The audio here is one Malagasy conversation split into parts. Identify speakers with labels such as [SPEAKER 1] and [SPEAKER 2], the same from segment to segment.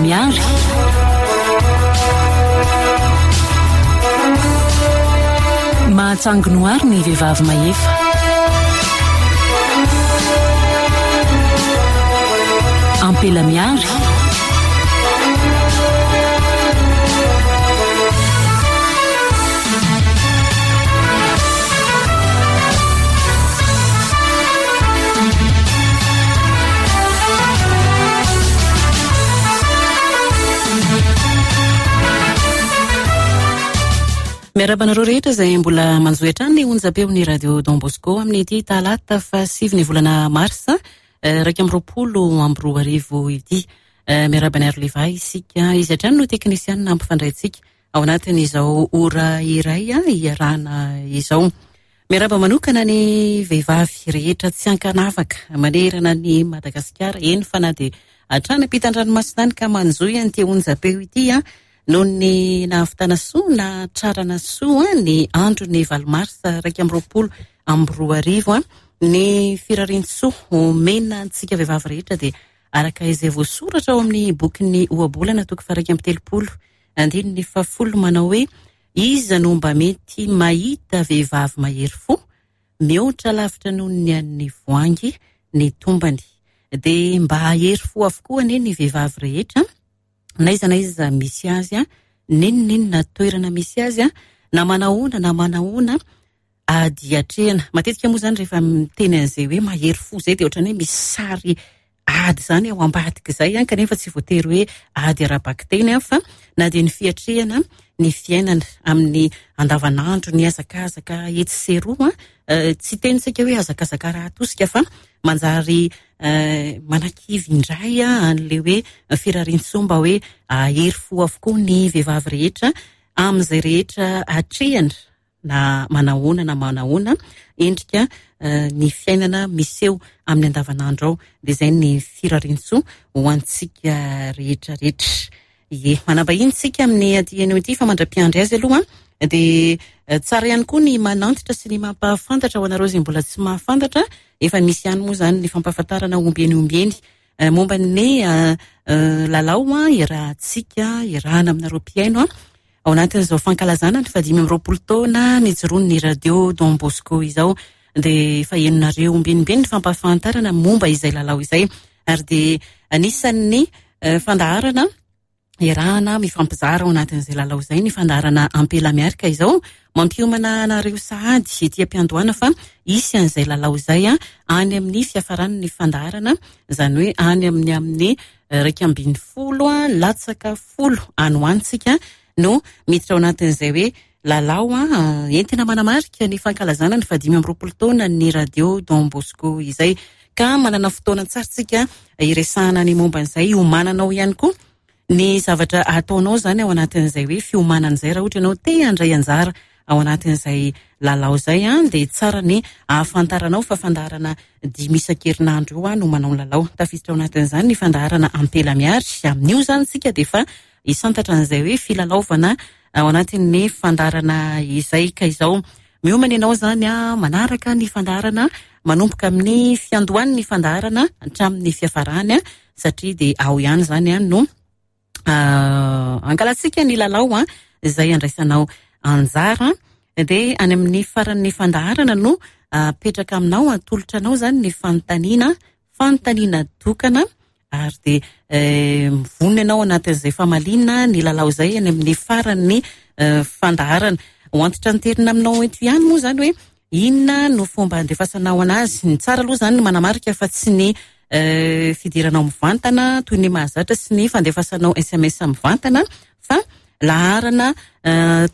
[SPEAKER 1] Miary. Mahatsangonohary ny vehivavy mahefa. Ampela Miary.
[SPEAKER 2] Miarahaba anareo rehetra izay mbola manjohy hatrany ny onjam-peon'ny Radio Don Bosco amin'ity talata fahasivy ny volana marsa 2021 ity. Miarahaba an'i Aroleva isika, izy hatrany no teknisianina hampifandray antsika ao anatin'izao ora iray iarahana izao. Miarahaba manokana ny vehivavy rehetra tsy ankanavaka manerana an'i Madagasikara, eny fa na dia hatrany ampitan-dranomasina any ka manjohy an'ity onjam-peo ity noho ny nahavitana soa nahatrarana soa ny andron'ny valo marsa 2021. Ny firarian-tsoa omena antsika vehivavy rehetra dia araka izay voasoratra ao amin'ny bokin'ny Ohabolana toko faha-31 andininy fahafolo manao hoe Iza no mba mety mahita vehivavy mahery fo? Mihoatra lavitra noho ny an'ny voangy ny tombany. Dia mba hahery fo avokoa anie ny vehivavy rehetra, n'aiza n'aiza misy azy, n'inon'inona toerana misy azy, na manahoana na manahoana ady atrehina. Matetika moa izany rehefa miteny an'izay hoe mahery fo izay dia ohatran'ny hoe misy sary ady izany ao ambadika izay an, kanefa tsy voatery hoe ady ara-bakiteny an, fa na dia ny fiatrehana ny fiainana amin'ny andavanandro, ny hazakazaka etsy sy eroa an, tsy hiteny isika hoe hazakazaka ara-atosika fa manjary manakivy indray an'ilay hoe firarian-tsoa mba hoe hahery fo avokoa ny vehivavy rehetra amin'izay rehetra atrehina. na manahoana na manahoana endrika ny fiainana miseho amin'ny andavanandro ao. Dia izay ny firariantsoa ho antsika rehetra rehetra. Ie, manambahiny isika amin'ny aty anio ity fa mandra-piandry azy aloha dia tsara ihany koa ny manantitra sy ny mampahafantatra ho anareo izay mbola tsy mahafantatra. Efa misy ihany moa izany ny fampahafantarana ombieny ombieny momba ny lalao iarahantsika, iarahana aminareo mpihaino ao anatin'izao fankalazana ny fahadimy amby roapolo taona nijoroan'ny Radio Don Bosco izao. Dia efa henonareo ombienimbeny ny fampahafantarana momba izay lalao izay ary dia anisan'ny fandaharana iarahana mifampizara ao anatin'izay lalao izay ny fandaharana Ampela Miaraka izao. Mampiomana anareo sahady ety am-piandohana fa hisy an'izay lalao izay any amin'ny fiafaran'ny fandaharana, izany hoe any amin'ny amin'ny 11 latsaka folo any ho any tsika no miditra ao anatin'izay hoe lalao entina manamarika ny fankalazana ny fahadimy amby roapolo taona ny Radio Don Bosco izay. Ka manana fotoana tsara tsika hiresahana ny momba an'izay, hiomananao ihany koa ny zavatra ataonao izany ao anatin'izay hoe fiomanana izay. Raha ohatra ianao te handray anjara ao anatin'izay lalao izay dia tsara ny ahafantaranao fa fandaharana dimy isan-kerinandro eo no manao ny lalao. Tafiditra ao anatin'izany ny fandaharana Ampela Miary. Amin'io izany tsika dia efa hisantatra an'izay hoe filalaovana ao anatin'ny fandaharana izay. Ka izao miomana ianao izany manaraka ny fandaharana manomboka amin'ny fiandohan'ny fandaharana hatramin'ny fiafarany, satria dia ao ihany izany no ankalantsika ny lalao izay andraisanao anjara. Dia any amin'ny faran'ny fandaharana no apetraka aminao, atolotra anao izany ny fanontaniana, fanontaniana tokana, ary dia mivonona ianao anatin'izay famaliana ny lalao izay any amin'ny faran'ny fandaharana. Ho antitranterina aminao eto ihany moa izany hoe inona no fomba andefasanao anazy. Ny tsara aloha izany ny manamarika fa tsy ny fidiranao mivantana toy ny mahazatra sy ny fandefasanao SMS mivantana fa laharana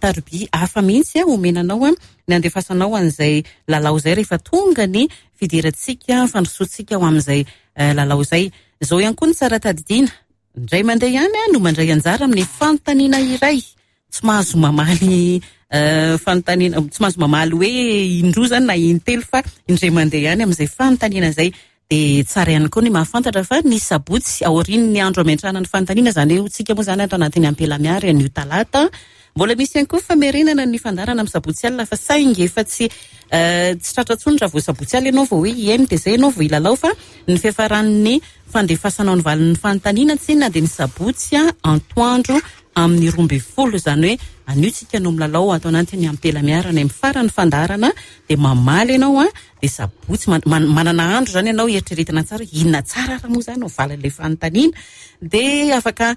[SPEAKER 2] tarobia hafa mihitsy omena anao ny andefasanao an'izay lalao izay rehefa tonga ny fidirantsika, fandrosoantsika ho amin'izay lalao izay. Izao ihany koa ny tsara tadidiana, indray mandeha ihany no mandray anjara amin'ny fanontaniana iray. Tsy mahazo mamaly fanontaniana, tsy mahazo mamaly hoe indroa izany na intelo fa indray mandeha ihany amin'izay fanontaniana izay. Dia tsara ihany koa ny mahafantatra fa ny sabotsy aorian'ny andro hametrahana ny fanontaniana, izany hoe hotsika moa izany ato anatin'ny Ampela Miary anio talata. Mbola misy ihany koa famerenana ny fandaharana amin'ny sabotsy alina fa saingy efa tsy Tsy tratra intsony raha vao sabotsy alina ianao vao hoe hihaino dia izay ianao vao hilalao fa ny fiafaran'ny fandefasanao ny valin'ny fanontaniana tsinona dia ny sabotsy antoandro amin'ny 12, izany hoe anio tsika no milalao ato anatin'ny Ampela Miara any amin'ny faran'ny fandaharana dia mamaly ianao dia sabotsy manana andro izany ianao hieritreretina tsara hoe inona tsara ary moa izany no valin'ilay fanontaniana dia afaka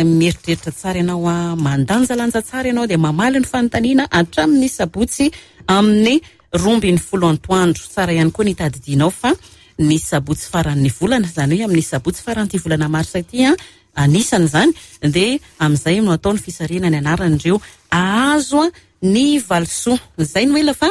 [SPEAKER 2] mieritreritra tsara ianao, mandanjalanja tsara ianao dia mamaly ny fanontaniana hatramin'ny sabotsy amin'ny 12 antoandro. Tsara ihany koa ny hitadidianao fa ny sabotsy faran'ny volana, izany hoe amin'ny sabotsy faran'ity volana marsa ity, anisan'izany dia amin'izay no atao ny fisarihana ny anaran'ireo ahazo ny valisoa. Izay no ela fa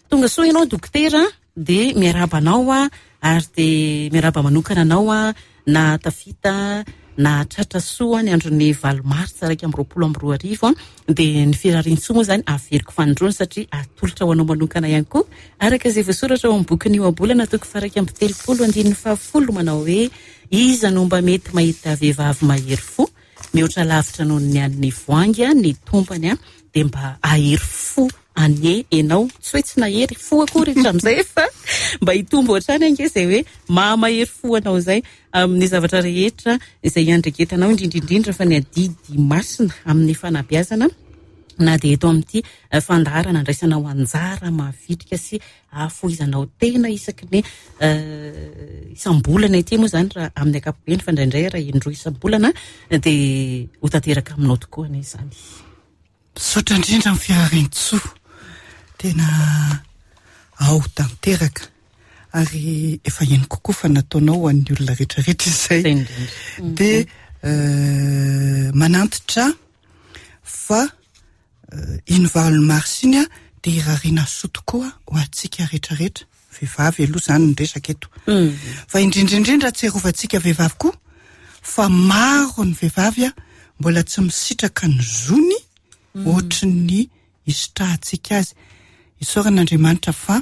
[SPEAKER 2] tonga soa ianao dokotera. Dia miarahaba anao aho ary dia miarahaba manokana anao aho nahatafita nahatratra soa ny andron'ny 8 martsa 2021. Dia ny firarian-tsoa moa izany averiko fanindroany satria atolotra ho anao manokana ihany koa araka izay voasoratra ao amin'ny bokin'ny Ohabolana toko faha-31 andininy faha-10 manao hoe iza no mba mety mahita vehivavy mahery fo mihoatra lavitra noho ny an'ny voangy ny tompany dia mba hahery fo anie enao, tsy hoe tsy nahery fo akory hatramin'izay fa mba hitombo hatrany ange izay hoe maha mahery fo anao izay amin'ny zavatra rehetra izay iandraiketanao, indrindra indrindra fa ny adidy masina amin'ny fanabeazana na dia eto amin'ity fandaharana andraisanao anjara mavitrika sy ahafoizanao tena isaky ny isam-bolana ity moa izany raha amin'ny ankapobeny fa indraindray raha indroa isam-bolana dia ho tanteraka aminao tokoa anie izany.
[SPEAKER 3] Misaotra indrindra amin'ny firarian-tsoa. Tena ao tanteraka. Ary efa henoko koa fa nataonao ho an'ny olona rehetrarehetra izay.
[SPEAKER 2] Izay indrindra.
[SPEAKER 3] Dia manantitra fa iny 8 mars iny dia irariana soa tokoa ho antsika rehetrarehetra. Vehivavy aloha izany ny resaka eto. Fa indrindra indrindra tserovantsika vehivavy koa fa maro ny vehivavy mbola tsy misitraka ny zony ohatry ny isitrahantsika azy. Isaorana Andriamanitra fa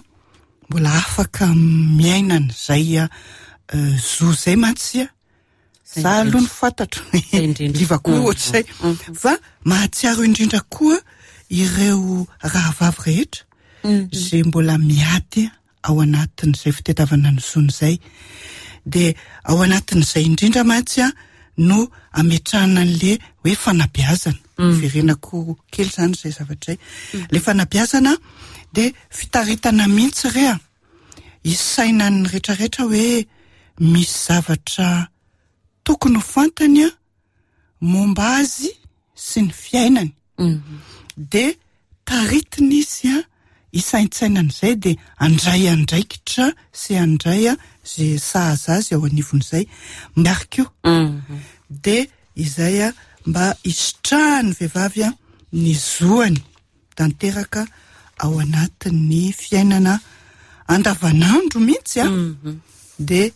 [SPEAKER 3] mbola afaka miaina an'izay zo izay mantsy. Za aloha ny fantatro. Liva koa ohatr'izay. Fa mahatsiaro indrindra koa ireo rahavavy rehetra izay mbola miady ao anatin'izay fitadiavana ny zony izay. Dia ao anatin'izay indrindra mantsy no ametrahana an'le hoe fanabeazana. Verenako kely izany izay zavatra izay. Le fanabeazana dia fitaritana mihitsy re a. Isainan'ny rehetrarehetra hoe misy zavatra tokony ho fantany momba azy sy ny fiainany. Dia taritina izy hisaintsainan'izay dia handray andraikitra sy handray izay sahaza azy ao anivon'izay. Ary koa dia izay mba hisitrahan'ny vehivavy ny zoany tanteraka ao anatin'ny fiainana andavanandro mihitsy a, dia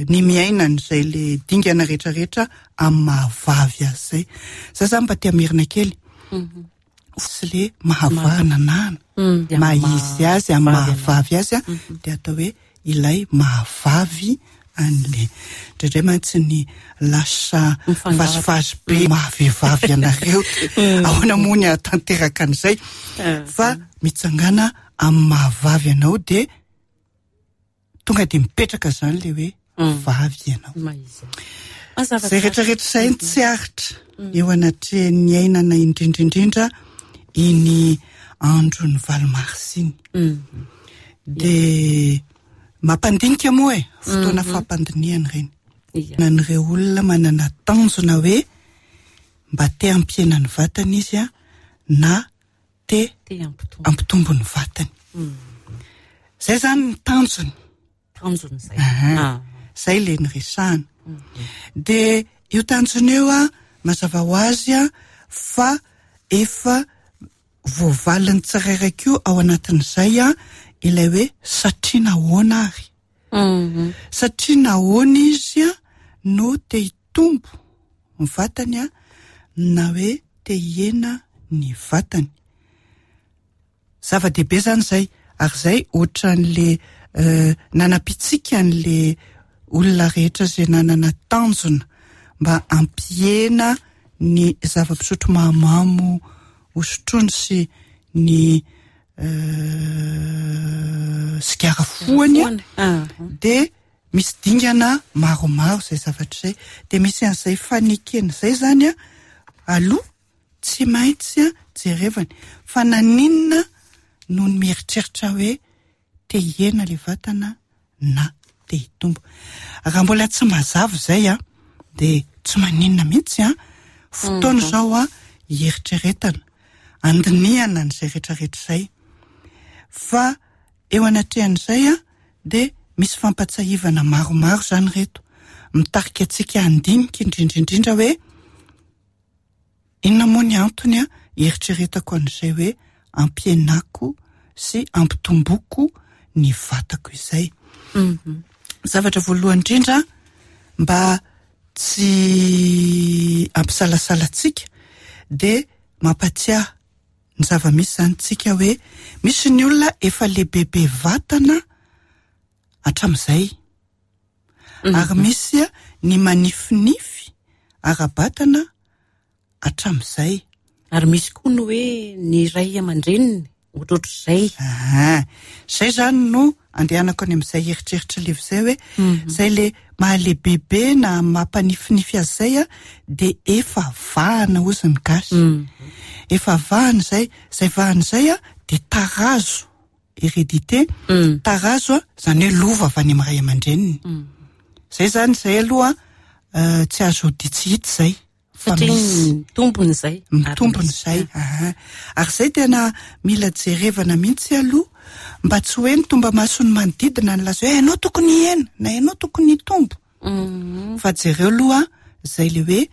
[SPEAKER 3] ny miaina an'izay le dingana rehetrarehetra amin'ny mahavavy azy izay. Za zany mba te hamerina kely sy le mahavananana, maha izy azy amin'ny mahavavy azy a, dia atao hoe ilay mahavavy an'le. Indraindray mantsy ny lasa vazivazy be mahavehivavy anareo dia ahoana moa ny hahatanteraka an'izay? Fa mitsangàna amin'ny mahavavy anao dia tonga dia mipetraka izany ilay hoe vavy ianao. Izay rehetrarehetra izay no tsy aritra eo anatrehan'ny iainana indrindra indrindra iny andron'ny 8 marsa iny. Dia mampandinika moa e, fotoana fampandinihana ireny. An'ireo olona manana tanjona hoe mba te hampihena ny vatany izy na te hampitombo ny vatany. Izay izany ny tanjony.
[SPEAKER 2] Tanjony izay.
[SPEAKER 3] Izay ilay niresahana. Dia io tanjona io mazava ho azy fa efa voavalin'ny tsirairay koa ao anatin'izay ilay hoe satria nahoana ary. Satria nahoana izy no te hitombo ny vatany na hoe te hihena ny vatany. Zava-dehibe izany izay ary izay ohatran'le nanapitsika an'le olona rehetra izay nanana tanjona mba hampihena ny zava-pisotro mahamamo hosotroiny sy ny. Sigara fohany dia misy dingana maromaro izay zavatra izay. Dia misy an'izay fanekena izay izany aloha tsy maintsy jerevana fa naninona no mieritreritra hoe te hihena ilay vatana na te hitombo. Raha mbola tsy mazava izay dia tsy maninona mihitsy an, fotoana izao hieritreretana, handinihana an'izay rehetrarehetra izay. Fa eo anatrehan'izay dia misy fampatsiahivana maromaro izany ireto, mitarika antsika handinika indrindra indrindra hoe inona moa ny antony hieritreretako an'izay hoe ampihenako sy ampitomboko ny vatako izay. Zavatra voalohany indrindra mba tsy hampisalasala antsika dia mampatsiahy ny zava-misy izany tsika hoe misy ny olona efa lehibebe vatana hatramin'izay. Ary misy ny manifinify ara-batana hatramin'izay.
[SPEAKER 2] Ary misy koa ny hoe ny ray aman-dreniny ohatrohatr'izay.
[SPEAKER 3] Aha, izay izany no andehanako any amin'izay eritreritra Liva izay hoe izay le mahalehibebe na mampanifinify azy izay a, dia efa vahana hozy ny gasy. Efa vahana izay, izay vahana izay a dia tarazo, hérédité, tarazo a, izany hoe lova avy any amin'ny ray aman-dreniny. Izay izany, izay aloha tsy azo ody tsy hita izay.
[SPEAKER 2] Fa
[SPEAKER 3] Satria
[SPEAKER 2] misy. mitombona izay.
[SPEAKER 3] Mitombona izay, aha. Ary izay tena mila jerevana mihitsy aloha, mba tsy hoe ny tomba-mason'ny manodidina no laza hoe ianao tokony hihena na ianao tokony hitombo. Fa jereo aloha izay ilay hoe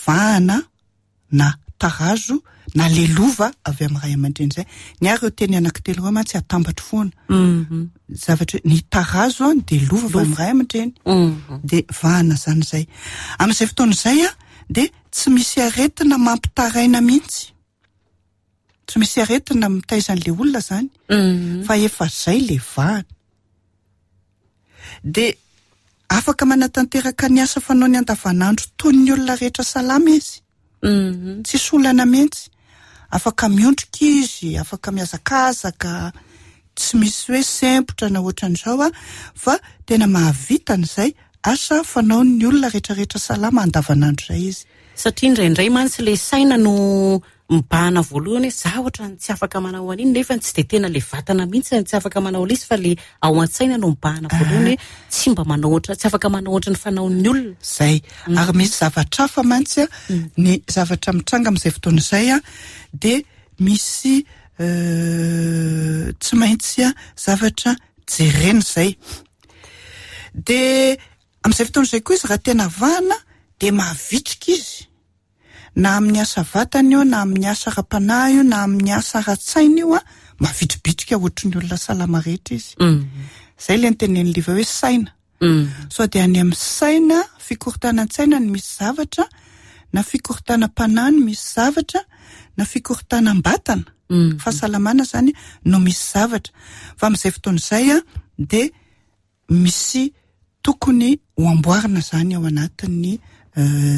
[SPEAKER 3] vahana na tarazo na lelova avy amin'ny ray aman-dreny izay. Ny ahy ireo teny anankitelo ireo mantsy atambatro foana. Zavatra hoe ny tarazo an, dia lova avy amin'ny ray aman-dreny. Dia vahana izany izay. Amin'izay fotoana izay an, dia tsy misy aretina mampitaraina mihitsy. Tsy misy aretina mitaiza an'ilay olona izany. Fa efa izay ilay vahana. Dia afaka manatanteraka ny asa fanaony andavanandro toy ny olona rehetra salama izy. Tsisy olana mihitsy. Afaka miondrika izy, afaka mihazakazaka, tsy misy hoe sempotra na ohatran'izao a, fa tena mahavita an'izay asa fanaon'ny olona rehetrarehetra salama andavanandro izay izy.
[SPEAKER 2] Satria indraindray mantsy ilay saina no mibahana voalohany hoe za ohatran'ny tsy afaka manao an'iny, nefa tsy dia tena ilay vatana mihitsy no tsy afaka manao an'ilay izy fa ilay ao an-tsaina no mibahana voalohany hoe tsy mba manao ohatra, tsy afaka manao ohatran'ny fanaon'ny olona.
[SPEAKER 3] Izay. Ary misy zavatra hafa mantsy a, ny zavatra mitranga amin'izay fotoana izay a, dia misy tsy maintsy zavatra jerena izay. Dia amin'izay fotoana izay koa izy raha tena vahana dia mavitrika izy. Na amin'ny asa vatana io, na amin'ny asa ara-panahy io, na amin'ny asa ara-tsaina io, mavitribitrika ohatry ny olona salama rehetra izy. Izay ilay notenenin'i Liva hoe saina. Sao dia any amin'ny saina, fikorontanan-tsaina no misy zavatra, na fikorontanam-panahy no misy zavatra, na fikorontanam-batana, fahasalamana izany no misy zavatra. Fa amin'izay fotoana izay dia misy tokony ho amboarina izany ao anatin'ny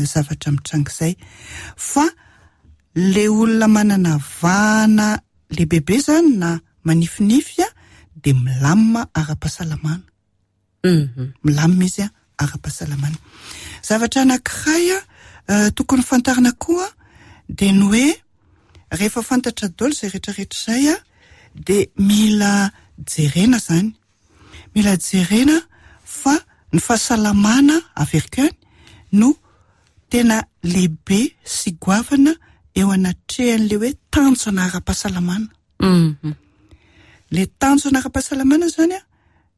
[SPEAKER 3] zavatra mitranga izay. Fa le olona manana vahana lehibebe izany na manifinify dia milamina ara-pahasalamana. Milamina izy ara-pahasalamana. Zavatra anankiray tokony fantarina koa dia ny hoe rehefa fantatra daholo izay rehetrarehetra izay dia mila jerena izany. Mila jerena fa ny fahasalamana averiko ihany no tena lehibe sy goavana eo anatrehan'ilay hoe tanjona ara-pahasalamana. Ilay tanjona ara-pahasalamana izany an,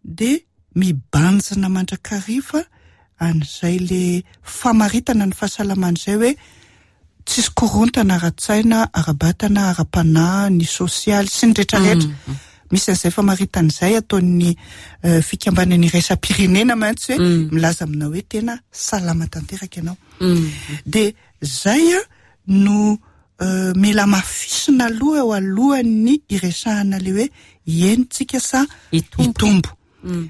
[SPEAKER 3] dia mibanjina mandrakariva an'izay le famaritana ny fahasalamana izay hoe tsisy korontana ara-tsaina, ara-batana, ara-panahy, ny sosialy sy ny rehetrarehetra. Misy an'izay famaritana izay ataon'ny fikambanana iraisam-pirenena mantsy hoe milaza aminao hoe tena salama tanteraka ianao. Dia izay no mila hamafisina aloha eo alohan'ny hiresahana ilay hoe hihena tsika sa hitombo.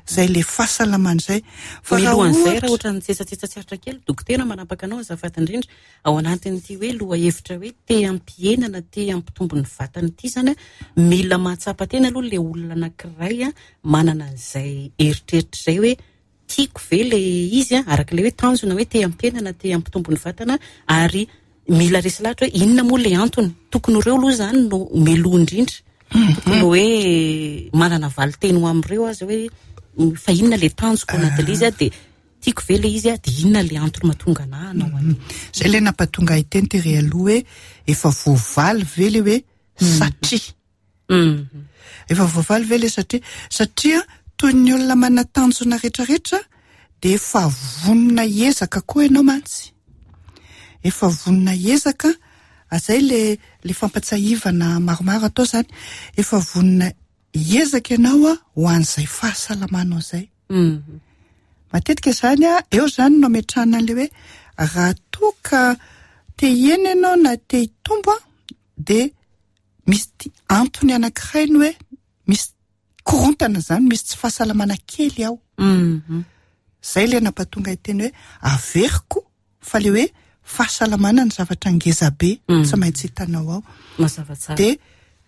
[SPEAKER 3] Zay le fahasalamana zay.
[SPEAKER 2] Fa raha Milohan'izay, raha ohatra ny tsetsatsetsa tsy aritra kely, dokotera manapaka anao azafady indrindra, ao anatin'ity hoe lohahevitra hoe te hampihena na te hampitombo ny vatana ity izany an, mila mahatsapa tena aloha ilay olona anankiray manana an'izay eritreritra izay hoe tiako ve ilay izy an, araka ilay hoe tanjona hoe te hampihena na te hampitombo ny vatana ary mila resy lahatra hoe inona moa ilay antony. Tokony ho ireo aloha izany no meloha indrindra. Tokony hoe manana valin-teny ho amin'ireo aza hoe fa inona ilay tanjoko anatin'ilay izy an, dia tiako ve ilay izy an, dia inona ilay antony mahatonga anà hanao an'io.
[SPEAKER 3] Izay ilay nampatonga ahy teny tery aloha hoe efa voavaly ve ilay hoe satria. Efa voavaly ve ilay satria? Satria toy ny olona manan-tanjona rehetrarehetra dia efa vonona hiezaka koa ianao mantsy. Efa vonona hiezaka, izay ilay ilay fampatsiahivana maromaro atao izany, efa vonona hiezaka ianao ho an'izay fahasalamanao izay. Matetika izany eo izany no ametrahana an'ilay hoe raha toa ka te hihena ianao na te hitombo dia misy antony anankiray ny hoe misy korontana izany, misy tsy fahasalamana kely ao. Izay ilay nampatonga ahy teny hoe averiko fa ilay hoe fahasalamana ny zavatra ngeza be tsy maintsy hitanao ao.
[SPEAKER 2] Mazava tsara.
[SPEAKER 3] Dia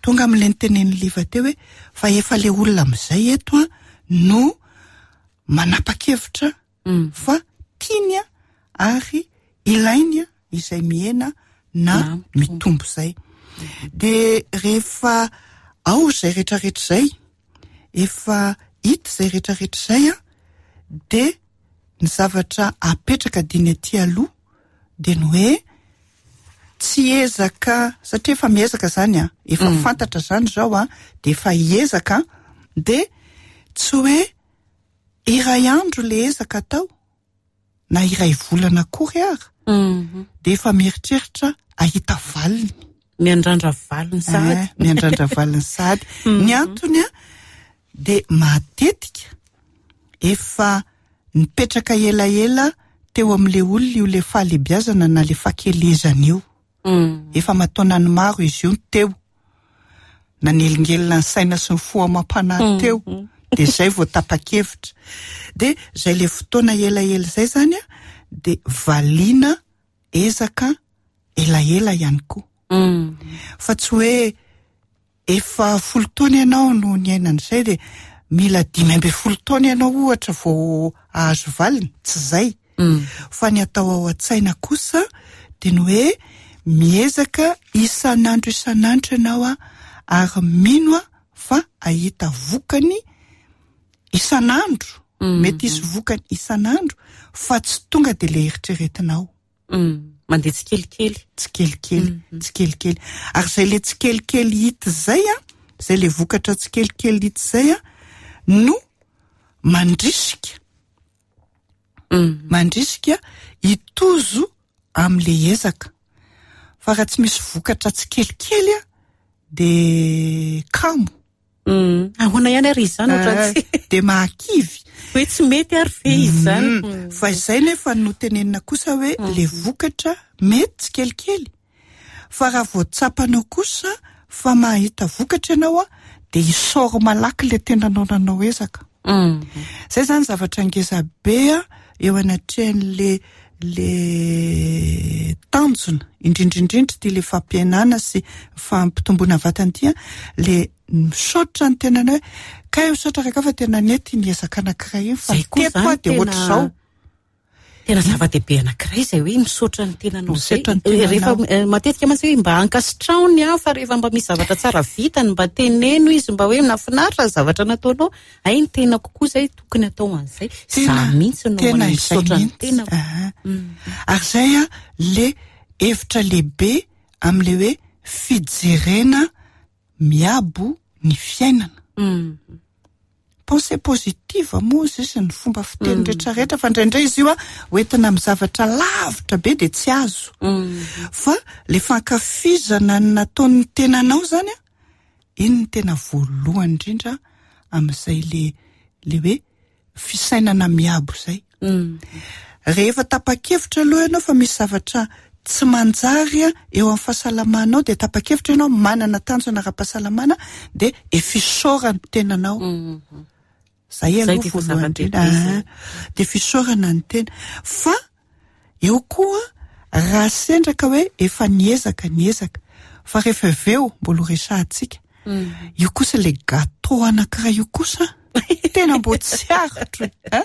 [SPEAKER 3] tonga amin'ilay nitenenin'i Liva teo hoe fa efa ilay olona amin'izay eto an no manapa-kevitra fa tiany ary ilainy izay mihena na mitombo izay. Dia rehefa ao izay rehetrarehetra izay, efa hita izay rehetrarehetra izay an, dia ny zavatra apetraka diny aty aloha dia ny hoe tsy ezaka, satria efa miezaka izany an, efa fantatra izany izao an, dia efa hiezaka an, dia tsy hoe iray andro ilay ezaka atao na iray volana akory ara dia efa mieritreritra hahita valiny.
[SPEAKER 2] Miandrandra valiny sahady.
[SPEAKER 3] Eh, miandrandra valiny sahady. Ny antony an, dia matetika efa nipetraka elaela teo amin'ilay olona io ilay fahalebiazana na ilay fahakelezana io. Efa aman-taonany maro izy io no teo. Nanelingelina ny saina sy ny fo amam-panahy teo. Dia izay vao tapa-kevitra. Dia izay ilay fotoana elaela izay izany an, dia valiana ezaka elaela ihany koa. Fa tsy hoe efa 10 taona ianao no niaina an'izay dia mila 15 taona ianao ohatra vao hahazo valiny, tsy izay. Fa ny atao ao an-tsaina kosa dia ny hoe miezaka isan'andro isan'andro ianao ary mino fa hahita vokany isan'andro, mety hisy vokany isan'andro fa tsy tonga dia ilay eritreretinao.
[SPEAKER 2] Mandeha tsikelikely.
[SPEAKER 3] Tsikelikely, tsikelikely. Ary izay ilay tsikelikely hita izay an, izay ilay vokatra tsikelikely hita izay an, no mandrisika. Mandrisika hitozo amin'ilay ezaka. Fa raha tsy misy vokatra tsikelikely an, dia kamo.
[SPEAKER 2] Ahoana ihany ary izy izany ohatran'ny tsy
[SPEAKER 3] Dia mahakivy.
[SPEAKER 2] Hoe tsy mety ary ve izy izany?
[SPEAKER 3] Fa izay nefa no tenenina kosa hoe ilay vokatra mety tsikelikely. Fa raha vao tsapanao kosa fa mahita vokatra ianao an, dia isaory malaky ilay tenanao nanao ezaka. Izay izany zavatra ngeza be eo anatrehan'ilay le tanjona, indrindra indrindra ity le fampihenana sy fampitomboana vatana ity an, le misaotra ny tenanao hoe kay misaotra raka fa tena nety iny ezaka anankiray iny fa
[SPEAKER 2] Zay koa
[SPEAKER 3] teto aho
[SPEAKER 2] zany
[SPEAKER 3] dia
[SPEAKER 2] tena
[SPEAKER 3] ohatr'izao.
[SPEAKER 2] Tena zava-dehibe anankiray izay hoe misaotra ny tenanao izay.
[SPEAKER 3] Misaotra ny tenanao.
[SPEAKER 2] Rehefa matetika mantsy hoe mba ankasitraho ny hafa rehefa mba misy zavatra tsara vitany, mba teneno izy mba hoe nahafinaritra ny zavatra nataonao. Hay ny tenako koa izay tokony atao an'izay.
[SPEAKER 3] Tena,
[SPEAKER 2] Za mihitsy no
[SPEAKER 3] tena izay
[SPEAKER 2] misaotra ny
[SPEAKER 3] mihitsy.
[SPEAKER 2] tenako.
[SPEAKER 3] Aha. Ary izay an, le hevitra lehibe amin'ilay hoe fijerena miabo ny fiainana. Pensée positive moa izy sy ny fomba fiteny rehetrarehetra, fa indraindray izy io an, hoentina amin'ny zavatra lavitra be dia tsy azo. Fa le fankafizana ny nataon'ny tenanao izany an, iny no tena voalohany indrindra amin'izay le, le hoe fisainana miabo izay. Rehefa tapa-kevitra aloha ianao fa misy zavatra tsy manjary eo amin'ny fahasalamanao dia tapa-kevitra ianao manana tanjona ara-pahasalamana dia efa isaorany tenanao. Zay aloha voalohany indrindra. Dia fisaorana ny tena. Fa eo koa raha sendra ka hoe efa niezaka niezaka fa rehefa avy eo mbola ho resahantsika. Io kosa ilay gâteau anankiray io kosa tena mbo tsy aritro e.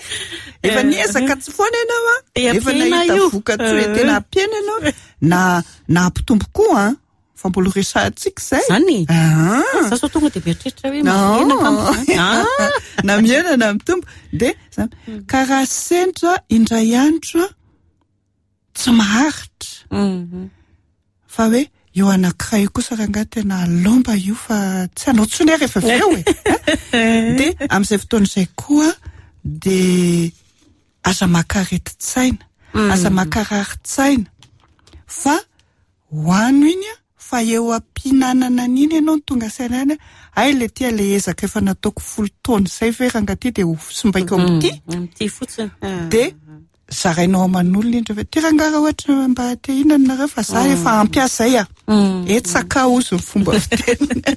[SPEAKER 3] Efa niezaka tsy foana ianao an. Efa nahita vokatsoa e, tena ampiana ianao na na hampitombo koa an. Fa mbola ho resahantsika izay.
[SPEAKER 2] Zany? Ah. Za sao tonga dia mieritreritra hoe mihena angamba izany. Ah.
[SPEAKER 3] Na mihena na mitombo. Dia zany. Ka raha sendra indray andro tsy maharitra. Fa hoe io anankiray io kosa rangahy tena lomba io fa tsy hanao intsony aho rehefa avy eo e. Dia amin'izay fotoana izay koa dia aza maka aretin-tsaina, aza maka rarin-tsaina fa hoano iny an, fa eo am-pihinanana an'iny ianao no tonga saina ihany hoe hay le ty le ezaka efa nataoko folo taona izay ve rangahy ty dia ho simbaiko amin'ity?
[SPEAKER 2] Amin'ity fotsiny.
[SPEAKER 3] Dia zarainao aman'olona iny rehefa ty rangahy raha ohatra mba te hihinana nareo fa za efa ampy ahy zay ah. Etsaka hozy ny fomba fiteniny.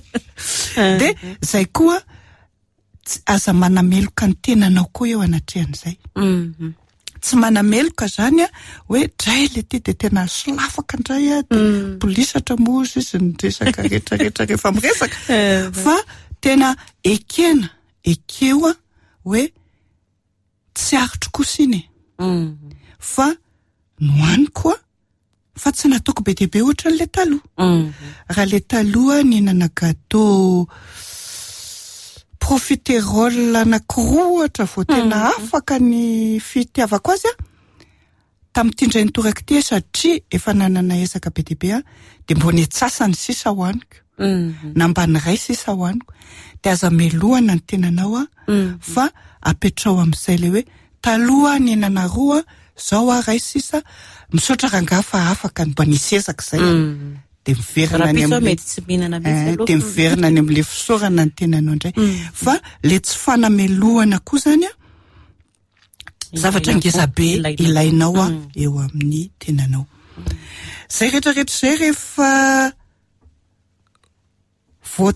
[SPEAKER 3] Dia zay koa aza manameloka ny tenanao koa eo anatrehan'izay. Tsy manameloka zany a, hoe dray le ty de tena solafaka indray a, de polisatra moa ozy izy ny resaka rehetra rehetra rehefa miresaka. Fa tena ekena, ekeo a, hoe tsy aritro kosa iny e. Fa nohaniko a, fa tsy nataoko be dia be ohatran'ilay taloha. Raha ilay taloha nihinana gâteau profiterole anankiroa ohatra vao tena afaka ny fitiavako azy aho, tamin'ity indray nitoraka ity satria efa nanana ezaka be dia be aho, dia mbo ny antsasany sisa hohaniko, na mba ny iray sisa hohaniko. Dia aza melohana ny tenanao aho, fa apetraho amin'izay ilay hoe Taloha nihinana roa, zao aho ray sisa, misaotra rangaha fa afaka, mba nisy ezaka izay a. Dia miverina any
[SPEAKER 2] Rahampitso aho mety tsy mihinana mihitsy aloha.
[SPEAKER 3] Dia miverina any amin'ilay fisaorana ny tenanao indray. Fa ilay tsy fanamelohana koa izany a, zavatra ngeza be ilainao a eo amin'ny tenanao. Izay rehetra rehetra izay rehefa vao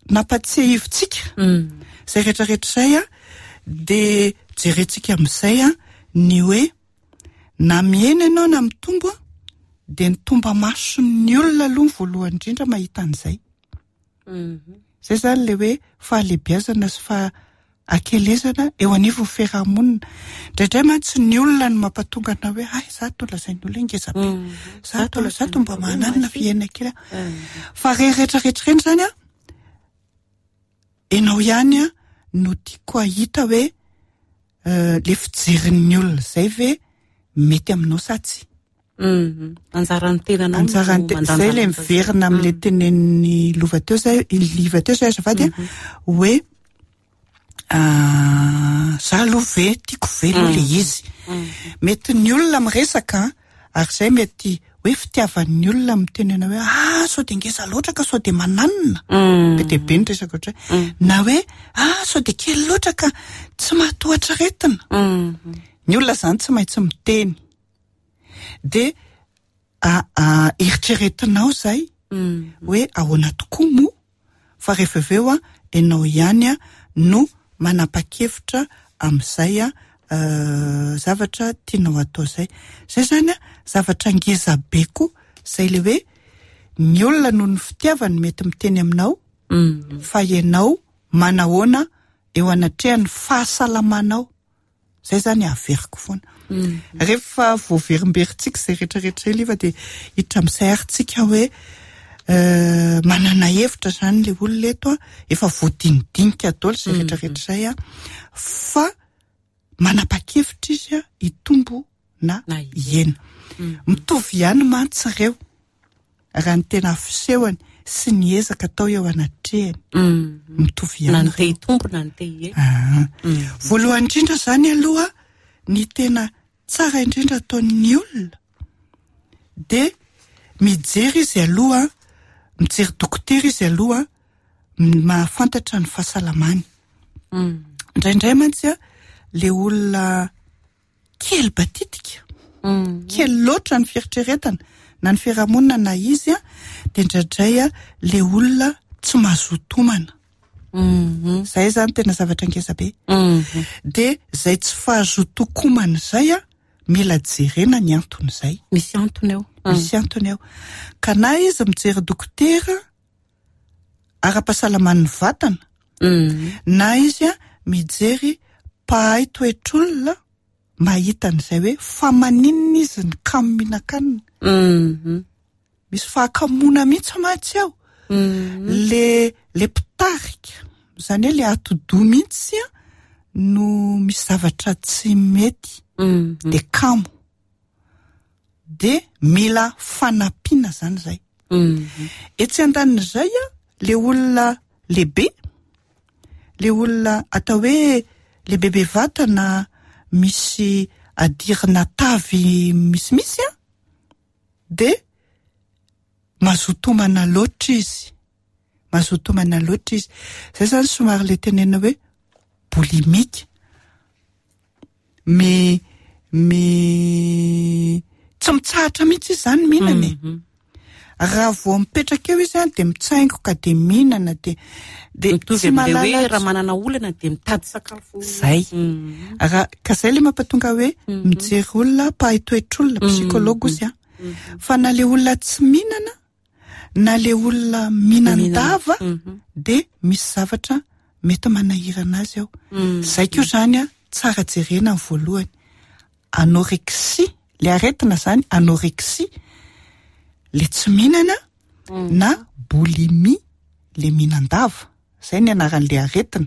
[SPEAKER 3] nampatsiahivintsika izay rehetra rehetra izay a, dia jerentsika amin'izay a ny hoe na mihena ianao na mitombo a, dia ny tomba-mason'ny olona aloha ny voalohany indrindra mahita an'izay. Izay izany ilay hoe fahalehibiazana sy fahakelezana eo anivon'ny fiarahamonina. Indraindray mantsy ny olona no mampatonga anao hoe hay za to lazain'ny olona hoe ngeza be, za to za to mba mananona fihena kely aho. Fa ireny rehetra rehetra ireny izany an, ianao ihany an no tiako hahita hoe ilay fijerin'ny olona izay ve mety aminao sa tsia.
[SPEAKER 2] Anjaran'ny tenanao no
[SPEAKER 3] Anjaran'ny te-, zay ilay miverina amin'ilay tenenin'i Lova teo zay, i Liva teo zay azafady a, hoe za aloha ve, tiako ve aloha ilay izy. Mety ny olona miresaka ary zay mety hoe fitiavan'ny olona miteny anao hoe ah sao dia ngeza loatra ka sao dia mananona. Be dia be ny resaka ohatr'izay. Na hoe ah sao dia kely loatra ka tsy mahatohatra aretina. Ny olona zany tsy maintsy miteny. Dia eritreretinao izay hoe ahoana tokoa moa fa rehefa avy eo ianao ihany no manapa-kevitra amin'izay zavatra tianao atao izay. Izay izany zavatra ngeza be koa izay ilay hoe ny olona noho ny fitiavany mety miteny aminao fa ianao manahoana eo anatrehan'ny fahasalamanao. Zay zany averiko foana. Rehefa voaverimberintsika izay rehetrarehetra izay Liva dia hiditra amin'izay ary tsika hoe manana hevitra zany ilay olona eto an, efa voadinidinika daholo izay rehetrarehetra izay an, fa manapa-kevitra izy an hitombo na hihena. Mitovy ihany mantsy ireo raha ny tena fisehony sy ny ezaka atao eo anatrehany. Mitovy ihany
[SPEAKER 2] Na ny te hitombo na ny te hihena.
[SPEAKER 3] Voalohany indrindra izany aloha ny tena tsara indrindra ataon'ny olona dia mijery izy aloha, mijery dokotera izy aloha mahafantatra ny fahasalamany. Indraindray mantsy a, le olona kely batitika, kely loatra ny fieritreretana na ny fiarahamonina na izy a, dia indraindray a le olona tsy mazoto homana. Zay zany tena zavatra ngeza be. De zay tsy fahazotoan-komana zay a, mila jerena ny antony zay.
[SPEAKER 2] Misy antony ao.
[SPEAKER 3] Misy antony ao. Ka na izy mijery dokotera ara-pahasalaman'ny vatana, na izy a mijery mpahay toetr'olona mahita an'izay hoe fa maninona izy ny kamo mihinan-kanina. Misy fahakamoana mihitsy mantsy ao. Le le mpitarika, izany hoe le atidoha mihitsy a no misy zavatra tsy mety, de kamo. De mila fanampiana zany zay. Etsy andanin'izay a, le olona lehibe, le olona atao hoe lehibebe vatana misy adirina tavy misimisy a, de mazoto homana loatra izy. Mazoto homana loatra izy. Zay zany somary le tenenina hoe boulimique. Mi mi tsy mitsahatra mihitsy izy zany mihinana e. Raha vao mipetraka eo izy a de mitsaingoka de mihinana de de
[SPEAKER 2] Mitovy
[SPEAKER 3] tsy
[SPEAKER 2] amin'ilay hoe
[SPEAKER 3] mahalala
[SPEAKER 2] raha manana olana de mitady sakafo.
[SPEAKER 3] Zay. Raha ka zay le mampatonga hoe mijery olona mpahay toetr'olona, psychologue ozy a. Fa na le olona tsy mihinana na le olona mihinan-dava de misy zavatra mety manahirana azy ao. Zay koa zany a tsara jerena ny voalohany. Anorexie, le aretina zany anorexie, le tsy mihinana na boulimie, le mihinan-dava. Zay ny anaran'le aretina.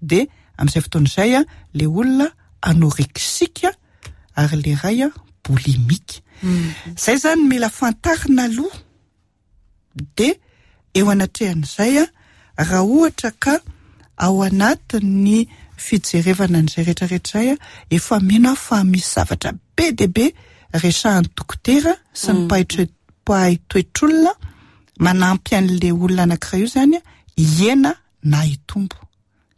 [SPEAKER 3] De amin'izay fotoana izay a le olona anorexique ary le ray a boulimique. Zay zany mila fantarina aloha. De eo anatrehan'izay a raha ohatra ka ao anatin'ny fijerevana an'izay rehetrarehetra izay a, efa mino aho fa misy zavatra be dia be resahan'ny dokotera sy ny mpahay toetr'olona manampy an'le olona anankiray io zany a hihena na hitombo.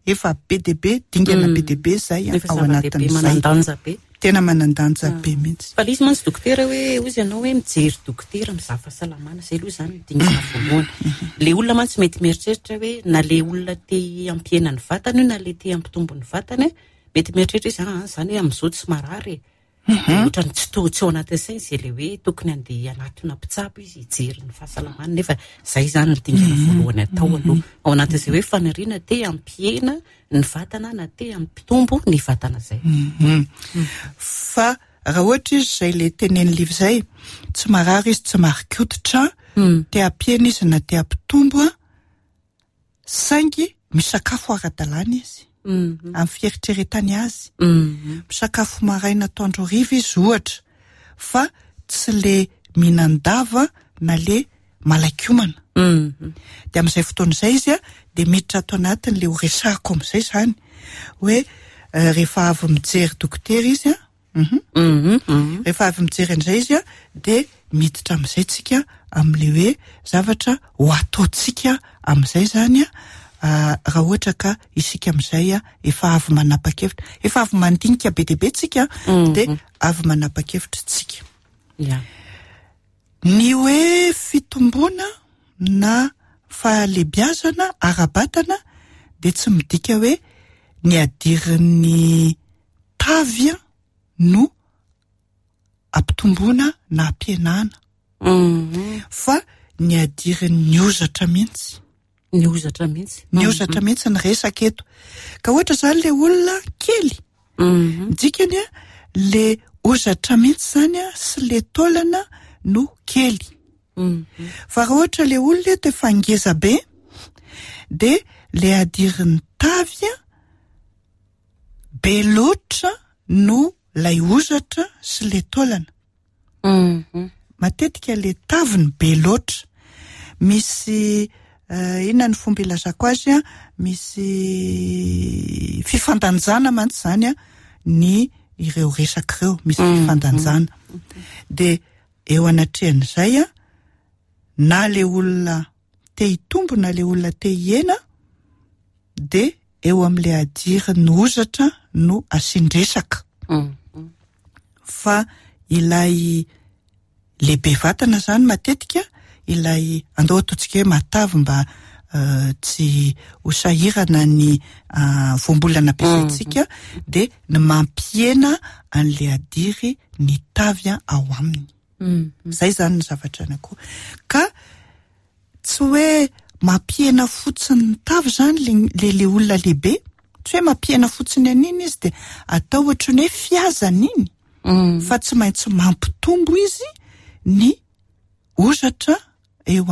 [SPEAKER 3] Efa be dia be, dingana be dia be zay
[SPEAKER 2] Efa
[SPEAKER 3] ao
[SPEAKER 2] zava-dehibe,
[SPEAKER 3] anatin'izay.
[SPEAKER 2] manan-danja be.
[SPEAKER 3] Tena manan-danja be mihitsy.
[SPEAKER 2] Fa le izy mantsy dokotera hoe ozy ianao hoe mijery dokotera mizaha fahasalamana, zay aloha zany dingana voalohany. Le olona mantsy mety mieritreritra hoe na le olona te hampihena ny vatany io na le te hampitombo ny vatany, mety mieritreritra izy, ah, zany hoe amin'izao tsy marary e. Ohatrany tsy to, tsy ao anatin'ny sainy zay le hoe tokony handeha hanatona mpitsabo izy hijery ny fahasalamany, nefa zay zany ny dingana voalohany atao aloha. Ao anatin'izay hoe faniriana te hampihena ny vatana na te hampitombo ny vatana zay.
[SPEAKER 3] Fa raha ohatra izy zay le tenen'ny Liva zay, tsy marary izy, tsy marikototra, te hampihena izy na te hampitombo a, saingy misakafo ara-dalàna izy. Amin'ny fieritreretany azy. Misakafo maraina atoandro hariva izy ohatra, fa tsy le mihinan-dava na le malakiomana. De amin'izay fotoana izay izy a, de miditra ato anatiny le ho resahako amin'izay zany hoe rehefa avy mijery dokotera izy a, rehefa avy mijery an'izay izy a, de miditra amin'izay tsika amin'le hoe zavatra ho ataontsika amin'izay zany a, raha ohatra ka isika amin'izay a efa avy manapa-kevitra, efa avy mandinika be dia be tsika, de avy manapa-kevitra tsika. Ny hoe fitomboana na fahalehibiazana ara-batana de tsy midika hoe ny adirin'ny tavy no ampitomboana na ampihenana. Fa ny adirin'ny hozatra mihitsy.
[SPEAKER 2] Ny hozatra mihitsy.
[SPEAKER 3] Ny hozatra mihitsy ny resaka eto. Ka ohatra zany le olona kely. Ny dikany a, le hozatra mihitsy zany a sy le taolana no kely. Fa raha ohatra le olona eto efa ngeza be, de le adirin'ny tavy a be loatra no lay hozatra sy le taolana. Matetika le taviny be loatra. Misy inona ny fomba ilazako azy a, misy fifandanjana mantsy zany a ny ireo resaka ireo, misy fifandanjana. De eo anatrehan'izay a, na le olona te hitombo na le olona te hihena, de eo amin'le adirin'ny hozatra no asian-dresaka. Fa ilay lehibe vatana zany matetika, ilay andao ataontsika hoe matavy mba tsy ho sahirana ny voambolana ampiasaintsika dia ny mampihena an'le hadiry ny tavy ao aminy. Zay zany ny zavatra anankiroa. Ka tsy hoe mampihena fotsiny ny tavy zany le le olona lehibe, tsy hoe mampihena fotsiny an'iny izy dia atao ohatran'ny hoe fihazana iny, fa tsy maintsy mampitombo izy ny hozatra eo